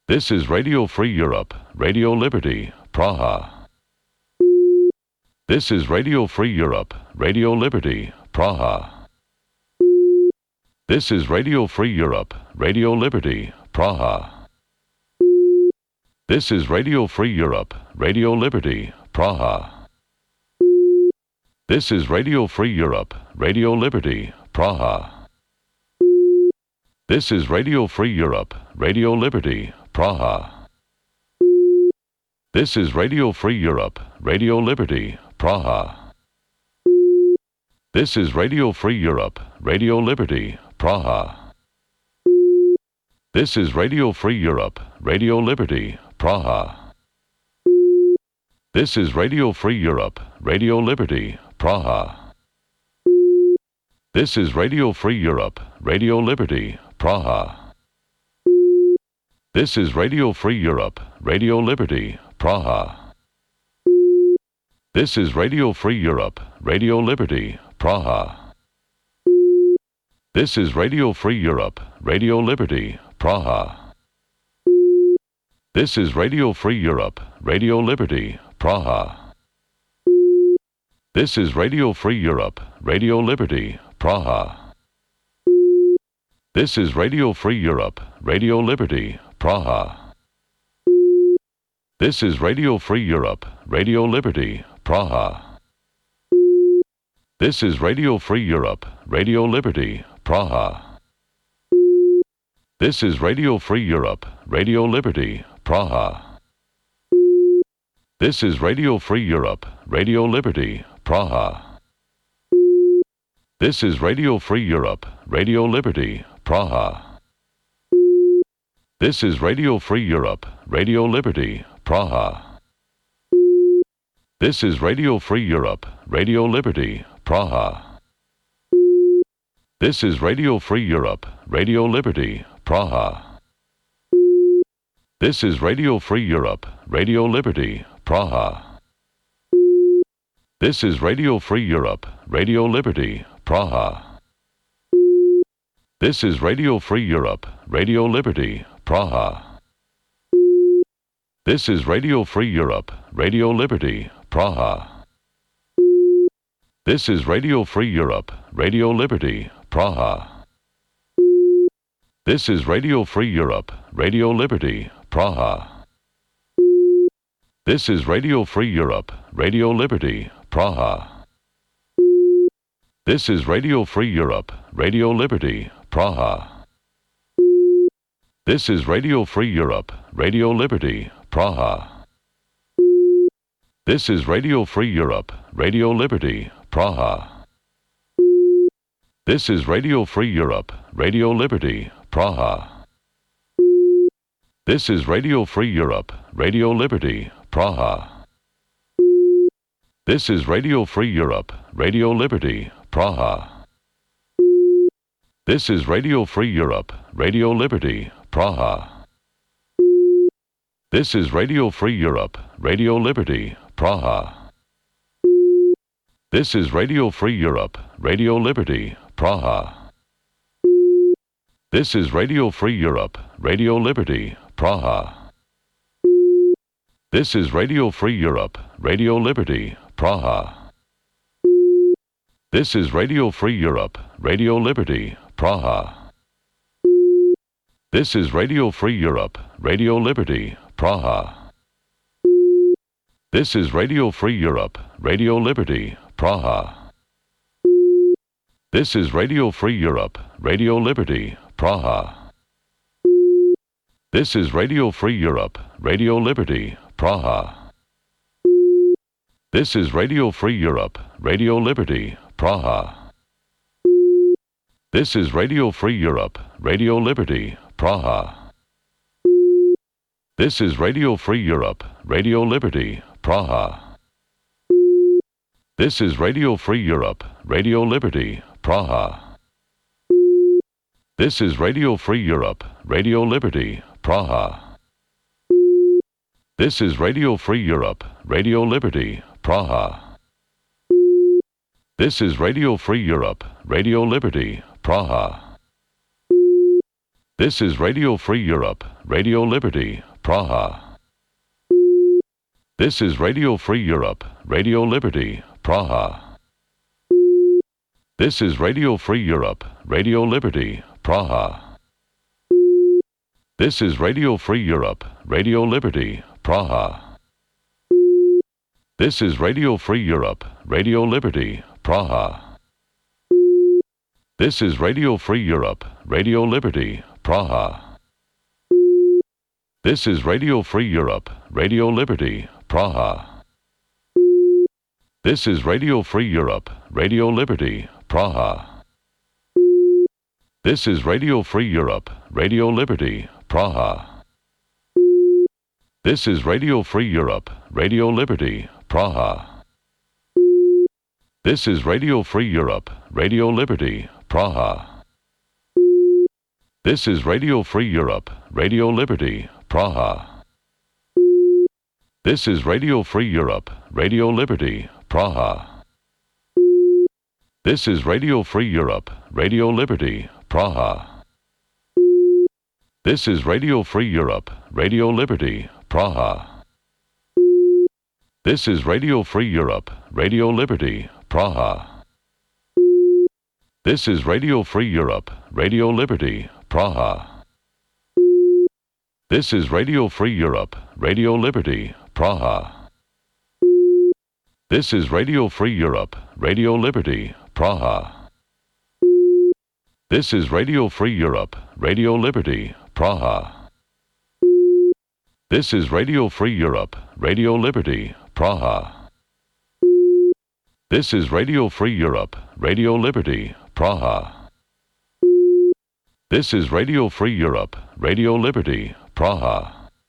This is Radio Free Europe, Radio Liberty, Praha. This is Radio Free Europe, Radio Liberty, Praha. This is Radio Free Europe, Radio Liberty, Praha. This is Radio Free Europe, Radio Liberty, Praha. This is Radio Free Europe, Radio Liberty, Praha. This is Radio Free Europe, Radio Liberty, Praha. This is Radio Free Europe, Radio Liberty, Praha. This is Radio Free Europe, Radio Liberty, Praha. This is Radio Free Europe, Radio Liberty, Praha. This is Radio Free Europe, Radio Liberty, Praha. This is Radio Free Europe, Radio Liberty, Praha. This is Radio Free Europe, Radio Liberty, Praha. This is Radio Free Europe, Radio Liberty, Praha. This is Radio Free Europe, Radio Liberty, Praha. This is Radio Free Europe, Radio Liberty, Praha. This is Radio Free Europe, Radio Liberty, Praha. This is Radio Free Europe, Radio Liberty, Praha. This is Radio Free Europe, Radio Liberty, Praha. This is Radio Free Europe, Radio Liberty, Praha. This is Radio Free Europe, Radio Liberty, Praha. This is Radio Free Europe, Radio Liberty, Praha. This is Radio Free Europe, Radio Liberty, Praha. This is Radio Free Europe, Radio Liberty, Praha. This is Radio Free Europe, Radio Liberty, Praha. This is Radio Free Europe, Radio Liberty, Praha. This is Radio Free Europe, Radio Liberty, Praha. This is Radio Free Europe, Radio Liberty, Praha. This is Radio Free Europe, Radio Liberty, Praha. This is Radio Free Europe, Radio Liberty, Praha. This is Radio Free Europe, Radio Liberty, Praha. This is Radio Free Europe, Radio Liberty, Praha. This is Radio Free Europe, Radio Liberty, Praha. This is Radio Free Europe, Radio Liberty, Praha. This is Radio Free Europe, Radio Liberty, Praha. This is Radio Free Europe, Radio Liberty, Praha. This is Radio Free Europe, Radio Liberty, Praha. This is Radio Free Europe, Radio Liberty, Praha. This is Radio Free Europe, Radio Liberty, Praha. This is Radio Free Europe, Radio Liberty, Praha. This is Radio Free Europe, Radio Liberty, Praha. This is Radio Free Europe, Radio Liberty, Praha. This is Radio Free Europe, Radio Liberty, Praha. This is Radio Free Europe, Radio Liberty, Praha. This is Radio Free Europe, Radio Liberty, Praha. This is Radio Free Europe, Radio Liberty, Praha. This is Radio Free Europe, Radio Liberty, Praha. This is Radio Free Europe, Radio Liberty, Praha. This is Radio Free Europe, Radio Liberty, Praha. This is Radio Free Europe, Radio Liberty, Praha. This is Radio Free Europe, Radio Liberty, Praha. This is Radio Free Europe, Radio Liberty, Praha. This is Radio Free Europe, Radio Liberty, Praha. This is Radio Free Europe, Radio Liberty, Praha. This is Radio Free Europe, Radio Liberty, Praha. This is Radio Free Europe, Radio Liberty, Praha. This is Radio Free Europe, Radio Liberty, Praha. This is Radio Free Europe, Radio Liberty, Praha. This is Radio Free Europe, Radio Liberty, Praha. This is Radio Free Europe, Radio Liberty, Praha. This is Radio Free Europe, Radio Liberty, Praha. This is Radio Free Europe, Radio Liberty, Praha. This is Radio Free Europe, Radio Liberty, Praha. This is Radio Free Europe, Radio Liberty, Praha. This is Radio Free Europe, Radio Liberty, Praha. This is Radio Free Europe, Radio Liberty, Praha. This is Radio Free Europe, Radio Liberty, Praha. This is Radio Free Europe, Radio Liberty, Praha. This is Radio Free Europe, Radio Liberty, Praha. This is Radio Free Europe, Radio Liberty, Praha. This is Radio Free Europe, Radio Liberty, Praha. This is Radio Free Europe, Radio Liberty, Praha. This is Radio Free Europe, Radio Liberty, Praha. This is Radio Free Europe, Radio Liberty, Praha. This is Radio Free Europe, Radio Liberty, Praha. This is Radio Free Europe, Radio Liberty, Praha. This is Radio Free Europe, Radio Liberty, Praha. This is Radio Free Europe, Radio Liberty, Praha. This is Radio Free Europe, Radio Liberty, Praha. This is Radio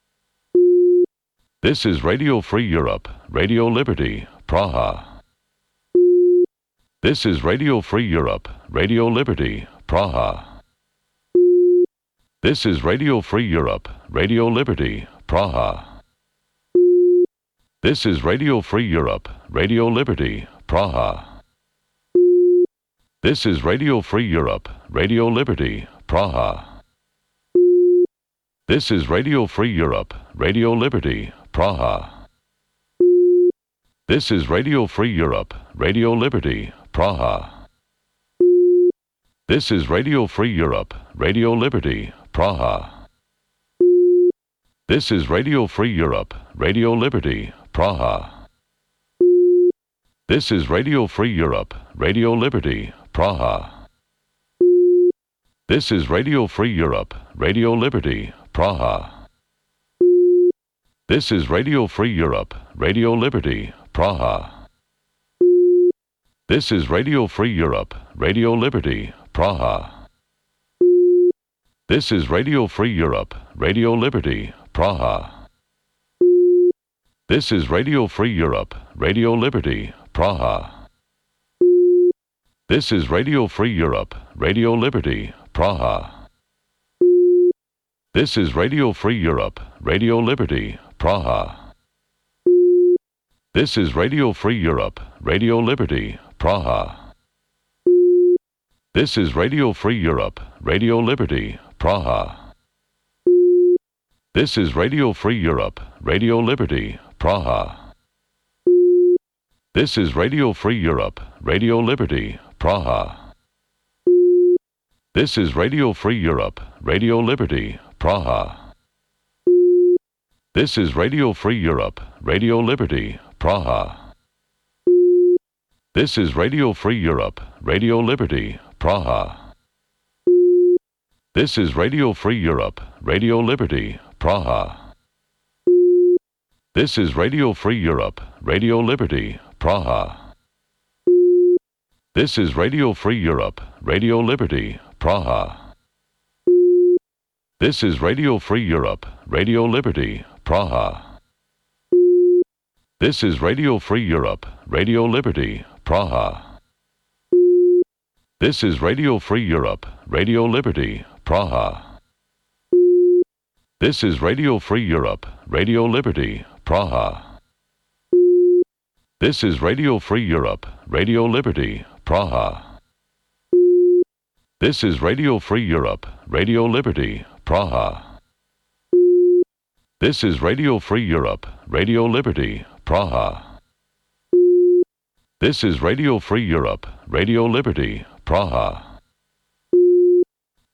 Free Europe, Radio Liberty, Praha. This is Radio Free Europe, Radio Liberty, Praha. This is Radio Free Europe, Radio Liberty, Praha. This is Radio Free Europe, Radio Liberty, Praha. This is Radio Free Europe, Radio Liberty, Praha. This is Radio Free Europe, Radio Liberty, Praha. This is Radio Free Europe, Radio Liberty, Praha. This is Radio Free Europe, Radio Liberty, Praha. This is Radio Free Europe, Radio Liberty, Praha. This is Radio Free Europe, Radio Liberty, Praha. This is Radio Free Europe, Radio Liberty, Praha. This is Radio Free Europe, Radio Liberty, Praha. This is Radio Free Europe, Radio Liberty, Praha. This is Radio Free Europe, Radio Liberty, Praha. This is Radio Free Europe, Radio Liberty, Praha. This is Radio Free Europe, Radio Liberty, Praha. This is Radio Free Europe, Radio Liberty, Praha. This is Radio Free Europe, Radio Liberty, Praha. This is Radio Free Europe, Radio Liberty, Praha. This is Radio Free Europe, Radio Liberty, Praha. This is Radio Free Europe, Radio Liberty, Praha. This is Radio Free Europe, Radio Liberty, Praha. This is Radio Free Europe, Radio Liberty, Praha. This is Radio Free Europe, Radio Liberty, Praha. This is Radio Free Europe, Radio Liberty, Praha. This is Radio Free Europe, Radio Liberty, Praha. This is Radio Free Europe, Radio Liberty, Praha. This is Radio Free Europe, Radio Liberty, Praha. This is Radio Free Europe, Radio Liberty, Praha. This is Radio Free Europe, Radio Liberty, Praha. This is Radio Free Europe, Radio Liberty, Praha. This is Radio Free Europe, Radio Liberty, Praha. This is Radio Free Europe, Radio Liberty, Praha. This is Radio Free Europe, Radio Liberty, Praha. This is Radio Free Europe, Radio Liberty, Praha.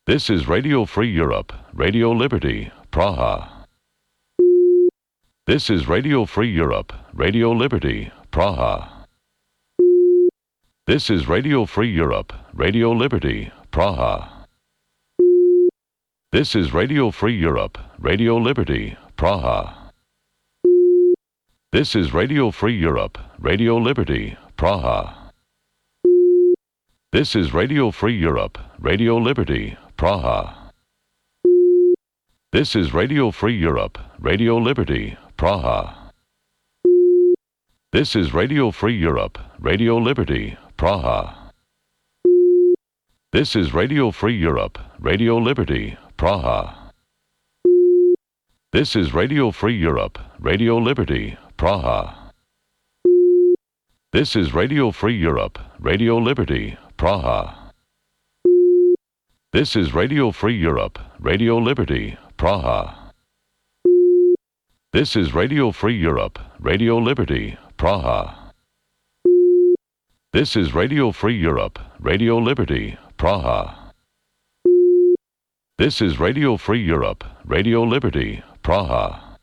This is Radio Free Europe, Radio Liberty, Praha. This is Radio Free Europe, Radio Liberty, Praha. This is Radio Free Europe, Radio Liberty, Praha. This is Radio Free Europe, Radio Liberty, Praha. This is Radio Free Europe, Radio Liberty, Praha. This is Radio Free Europe, Radio Liberty, Praha. This is Radio Free Europe, Radio Liberty, Praha. This is Radio Free Europe, Radio Liberty, Praha. This is Radio Free Europe, Radio Liberty, Praha. This is Radio Free Europe, Radio Liberty, Praha. This is Radio Free Europe, Radio Liberty, Praha. This is Radio Free Europe, Radio Liberty, Praha. This is Radio Free Europe, Radio Liberty, Praha. This is Radio Free Europe, Radio Liberty, Praha. This is Radio Free Europe, Radio Liberty, Praha.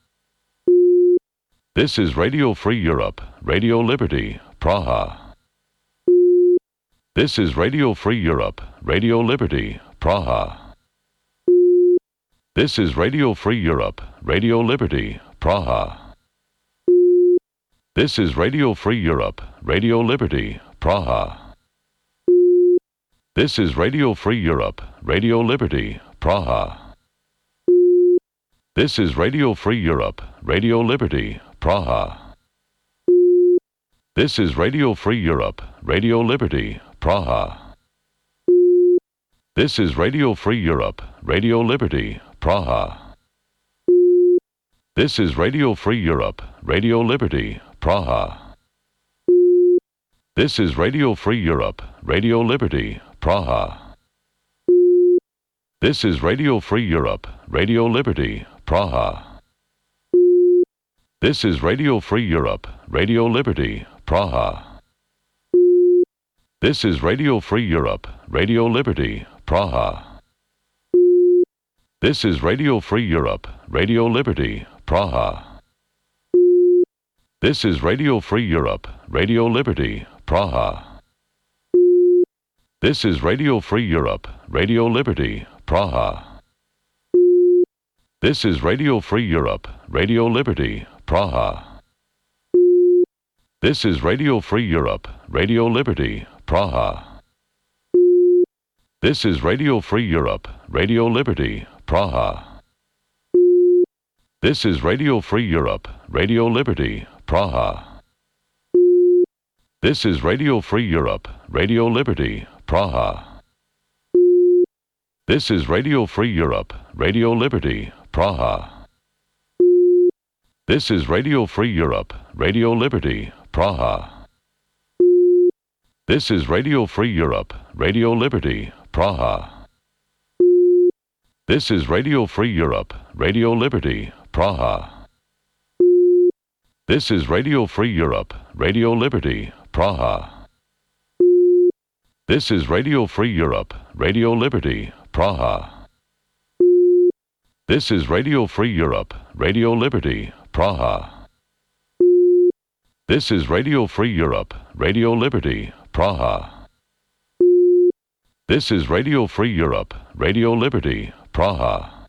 This is Radio Free Europe, Radio Liberty, Praha. This is Radio Free Europe, Radio Liberty, Praha. This is Radio Free Europe, Radio Liberty, Praha. This is Radio Free Europe, Radio Liberty, Praha. This is Radio Free Europe, Radio Liberty, Praha. This is Radio Free Europe, Radio Liberty, Praha. This is Radio Free Europe, Radio Liberty, Praha. This is Radio Free Europe, Radio Liberty, Praha. This is Radio Free Europe, Radio Liberty, Praha. This is Radio Free Europe, Radio Liberty, Praha. This is Radio Free Europe, Radio Liberty, Praha. This is Radio Free Europe, Radio Liberty, Praha. This is Radio Free Europe, Radio Liberty, Praha. This is Radio Free Europe, Radio Liberty, Praha. This is Radio Free Europe, Radio Liberty, Praha. This is Radio Free Europe, Radio Liberty, Praha. This is Radio Free Europe, Radio Liberty, Praha. This is Radio Free Europe, Radio Liberty, Praha. This is Radio Free Europe, Radio Liberty, Praha. This is Radio Free Europe, Radio Liberty, Praha. This is Radio Free Europe, Radio Liberty, Praha. This is Radio Free Europe, Radio Liberty, Praha. This is Radio Free Europe, Radio Liberty, Praha. This is Radio Free Europe, Radio Liberty, Praha. This is Radio Free Europe, Radio Liberty, Praha. This is Radio Free Europe, Radio Liberty, Praha. This is Radio Free Europe, Radio Liberty, Praha. This is Radio Free Europe, Radio Liberty, Praha. This is Radio Free Europe, Radio Liberty, Praha. This is Radio Free Europe, Radio Liberty, Praha.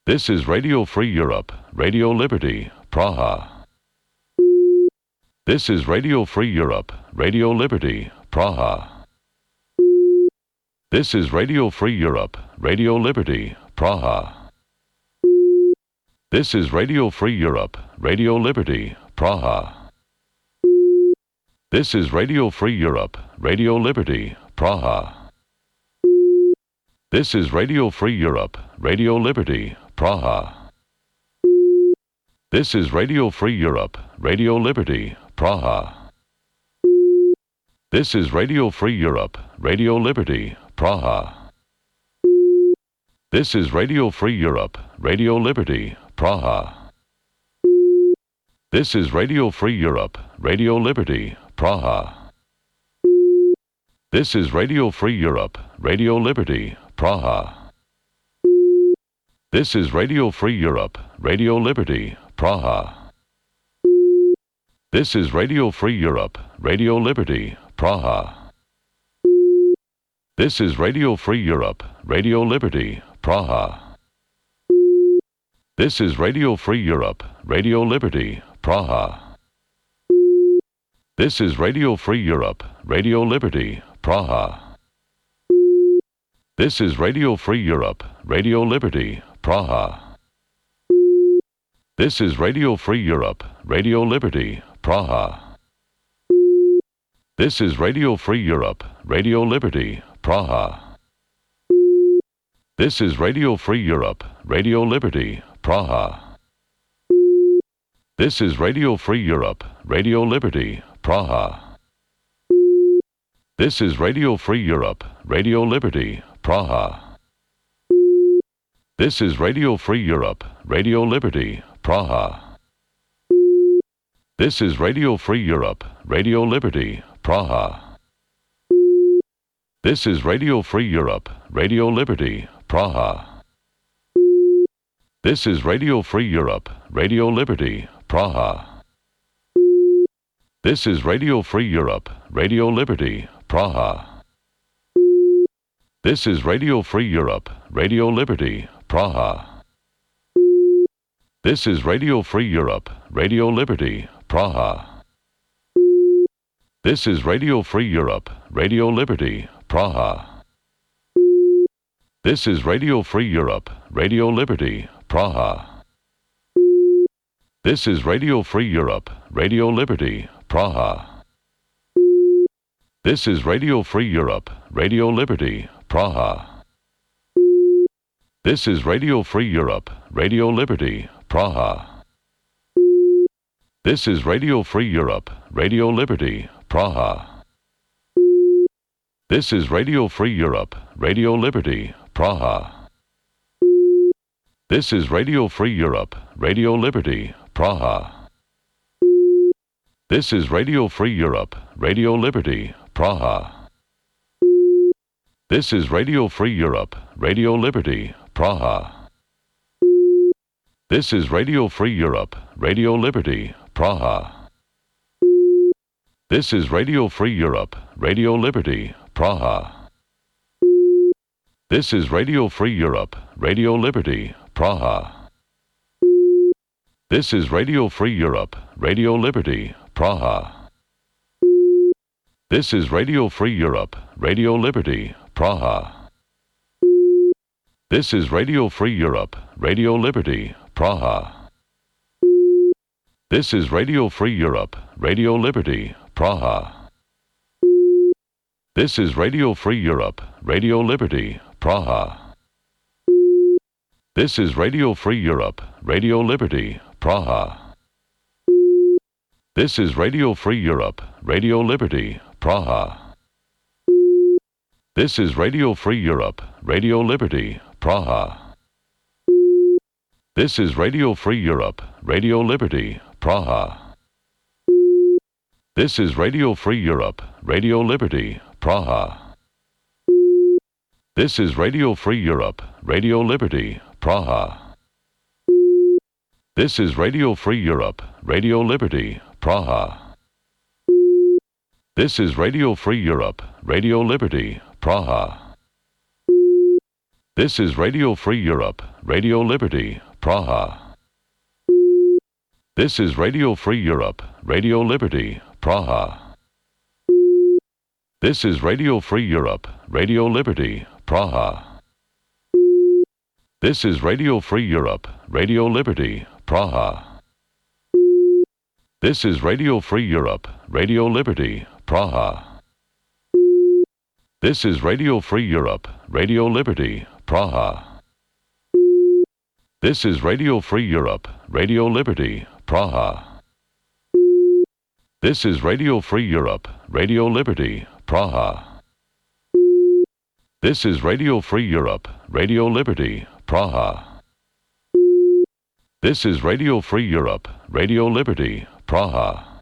This is Radio Free Europe, Radio Liberty, Praha. This is Radio Free Europe, Radio Liberty, Praha. This is Radio Free Europe, Radio Liberty, Praha. This is Radio Free Europe, Radio Liberty, Praha. This is Radio Free Europe, Radio Liberty, Praha. This is Radio Free Europe, Radio Liberty, Praha. This is Radio Free Europe, Radio Liberty, Praha. This is Radio Free Europe, Radio Liberty, Praha. This is Radio Free Europe, Radio Liberty, Praha. This is Radio Free Europe, Radio Liberty, Praha. This is Radio Free Europe, Radio Liberty, Praha. This is Radio Free Europe, Radio Liberty, Praha. This is Radio Free Europe, Radio Liberty, Praha. This is Radio Free Europe, Radio Liberty, Praha. This is Radio Free Europe, Radio Liberty, Praha. This is Radio Free Europe, Radio Liberty, Praha. This is Radio Free Europe, Radio Liberty, Praha. This is Radio Free Europe, Radio Liberty, Praha. This is Radio Free Europe, Radio Liberty, Praha. This is Radio Free Europe, Radio Liberty, Praha. This is Radio Free Europe, Radio Liberty, Praha. This is Radio Free Europe, Radio Liberty, Praha. This is Radio Free Europe, Radio Liberty, Praha. This is Radio Free Europe, Radio Liberty, Praha. This is Radio Free Europe, Radio Liberty, Praha. This is Radio Free Europe, Radio Liberty, Praha. This is Radio Free Europe, Radio Liberty, Praha. This is Radio Free Europe, Radio Liberty, Praha. This is Radio Free Europe, Radio Liberty, Praha. This is Radio Free Europe, Radio Liberty, Praha. This is Radio Free Europe, Radio Liberty, Praha. This is Radio Free Europe, Radio Liberty, Praha. This is Radio Free Europe, Radio Liberty, Praha. This is Radio Free Europe, Radio Liberty, Praha. This is Radio Free Europe, Radio Liberty, Praha. This is Radio Free Europe, Radio Liberty, Praha. This is Radio Free Europe, Radio Liberty, Praha. This is Radio Free Europe, Radio Liberty, Praha. This is Radio Free Europe, Radio Liberty, Praha. This is Radio Free Europe, Radio Liberty, Praha. This is Radio Free Europe, Radio Liberty, Praha. This is Radio Free Europe, Radio Liberty, Praha. This is Radio Free Europe, Radio Liberty, Praha. This is Radio Free Europe, Radio Liberty, Praha. This is Radio Free Europe, Radio Liberty, Praha. This is Radio Free Europe, Radio Liberty, Praha. This is Radio Free Europe, Radio Liberty, Praha. This is Radio Free Europe, Radio Liberty, Praha. This is Radio Free Europe, Radio Liberty, Praha. This is Radio Free Europe, Radio Liberty, Praha. This is Radio Free Europe, Radio Liberty, Praha. This is Radio Free Europe, Radio Liberty, Praha. This is Radio Free Europe, Radio Liberty, Praha. This is Radio Free Europe, Radio Liberty, Praha. This is Radio Free Europe, Radio Liberty, Praha. This is Radio Free Europe, Radio Liberty, Praha. This is Radio Free Europe, Radio Liberty, Praha. This is Radio Free Europe, Radio Liberty, Praha. This is Radio Free Europe, Radio Liberty, Praha. This is Radio Free Europe, Radio Liberty, Praha. This is Radio Free Europe, Radio Liberty, Praha. This is Radio Free Europe, Radio Liberty, Praha. This is Radio Free Europe, Radio Liberty, Praha. This is Radio Free Europe, Radio Liberty, Praha. This is Radio Free Europe, Radio Liberty, Praha.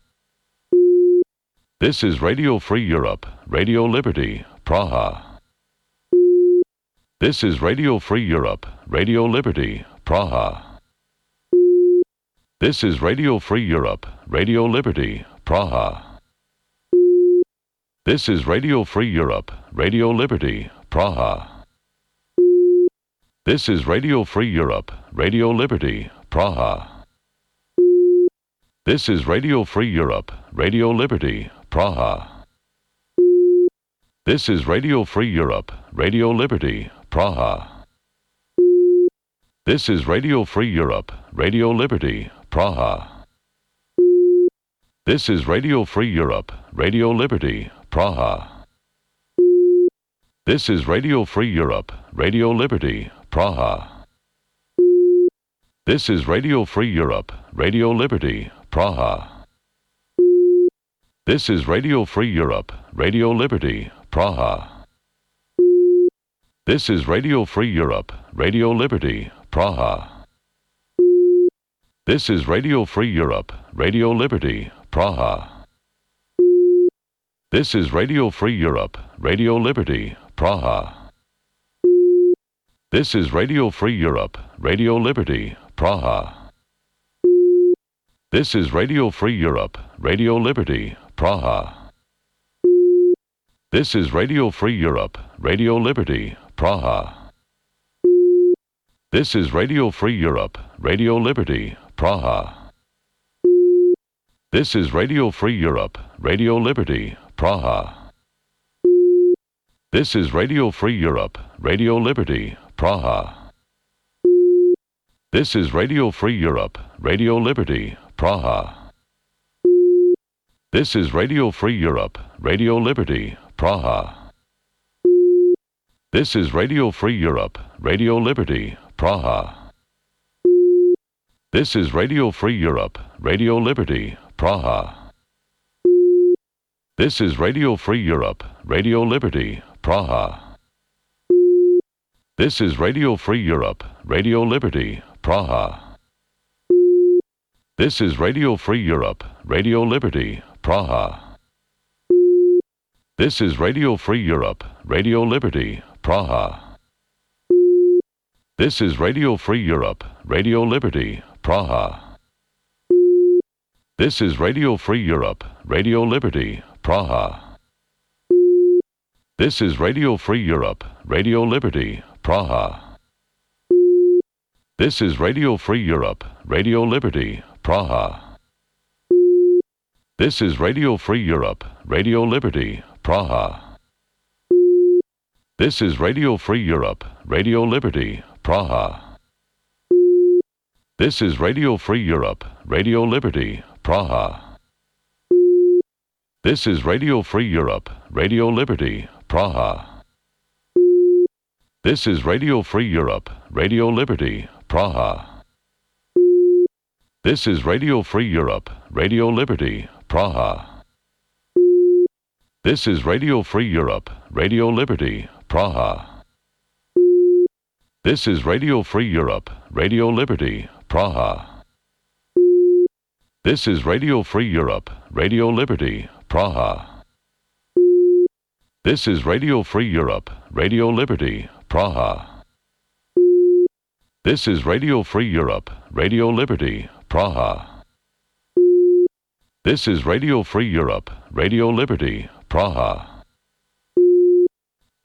This is Radio Free Europe, Radio Liberty, Praha. This is Radio Free Europe, Radio Liberty, Praha. This is Radio Free Europe, Radio Liberty, Praha. This is Radio Free Europe, Radio Liberty, Praha. This is Radio Free Europe, Radio Liberty, Praha. This is Radio Free Europe, Radio Liberty, Praha. This is Radio Free Europe, Radio Liberty, Praha. This is Radio Free Europe, Radio Liberty, Praha. This is Radio Free Europe, Radio Liberty, Praha. This is Radio Free Europe, Radio Liberty, Praha. This is Radio Free Europe, Radio Liberty, Praha. This is Radio Free Europe, Radio Liberty, Praha. This is Radio Free Europe, Radio Liberty, Praha. This is Radio Free Europe, Radio Liberty, Praha. This is Radio Free Europe, Radio Liberty, Praha. This is Radio Free Europe, Radio Liberty, Praha. This is Radio Free Europe, Radio Liberty, Praha. This is Radio Free Europe, Radio Liberty, Praha. This is Radio Free Europe, Radio Liberty, Praha. This is Radio Free Europe, Radio Liberty, Praha. This is Radio Free Europe, Radio Liberty, Praha. This is Radio Free Europe, Radio Liberty, Praha. This is Radio Free Europe, Radio Liberty, Praha. This is Radio Free Europe, Radio Liberty, Praha. This is Radio Free Europe, Radio Liberty, Praha. This is Radio Free Europe, Radio Liberty, Praha. This is Radio Free Europe, Radio Liberty, Praha. This is Radio Free Europe, Radio Liberty, Praha. This is Radio Free Europe, Radio Liberty, Praha. This is Radio Free Europe, Radio Liberty, Praha. This is Radio Free Europe, Radio Liberty, Praha. This is Radio Free Europe, Radio Liberty, Praha. This is Radio Free Europe, Radio Liberty, Praha. This is Radio Free Europe, Radio Liberty, Praha. This is Radio Free Europe, Radio Liberty, Praha. This is Radio Free Europe, Radio Liberty, Praha. This is Radio Free Europe, Radio Liberty, Praha. This is Radio Free Europe, Radio Liberty, Praha. This is Radio Free Europe, Radio Liberty, Praha. This is Radio Free Europe, Radio Liberty, Praha. This is Radio Free Europe, Radio Liberty, Praha. This is Radio Free Europe, Radio Liberty, Praha. This is Radio Free Europe, Radio Liberty, Praha. This is Radio Free Europe, Radio Liberty, Praha. This is Radio Free Europe, Radio Liberty, Praha.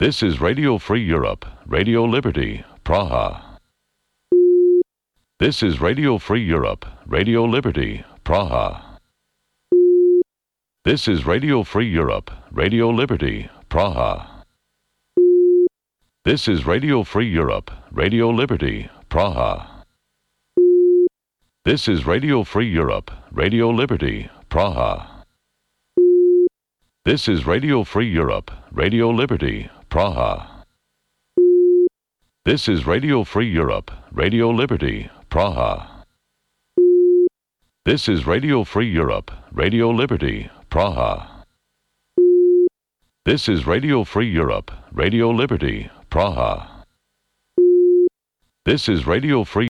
This is Radio Free Europe, Radio Liberty, Praha. This is Radio Free Europe, Radio Liberty, Praha. This is Radio Free Europe, Radio Liberty, Praha. This is Radio Free Europe, Radio Liberty, Praha. This is Radio Free Europe, Radio Liberty, Praha. This is Radio Free Europe, Radio Liberty, Praha. This is Radio Free Europe, Radio Liberty, Praha. This is Radio Free Europe, Radio Liberty, Praha. This is Radio Free Europe, Radio Liberty, Praha. This is Radio Free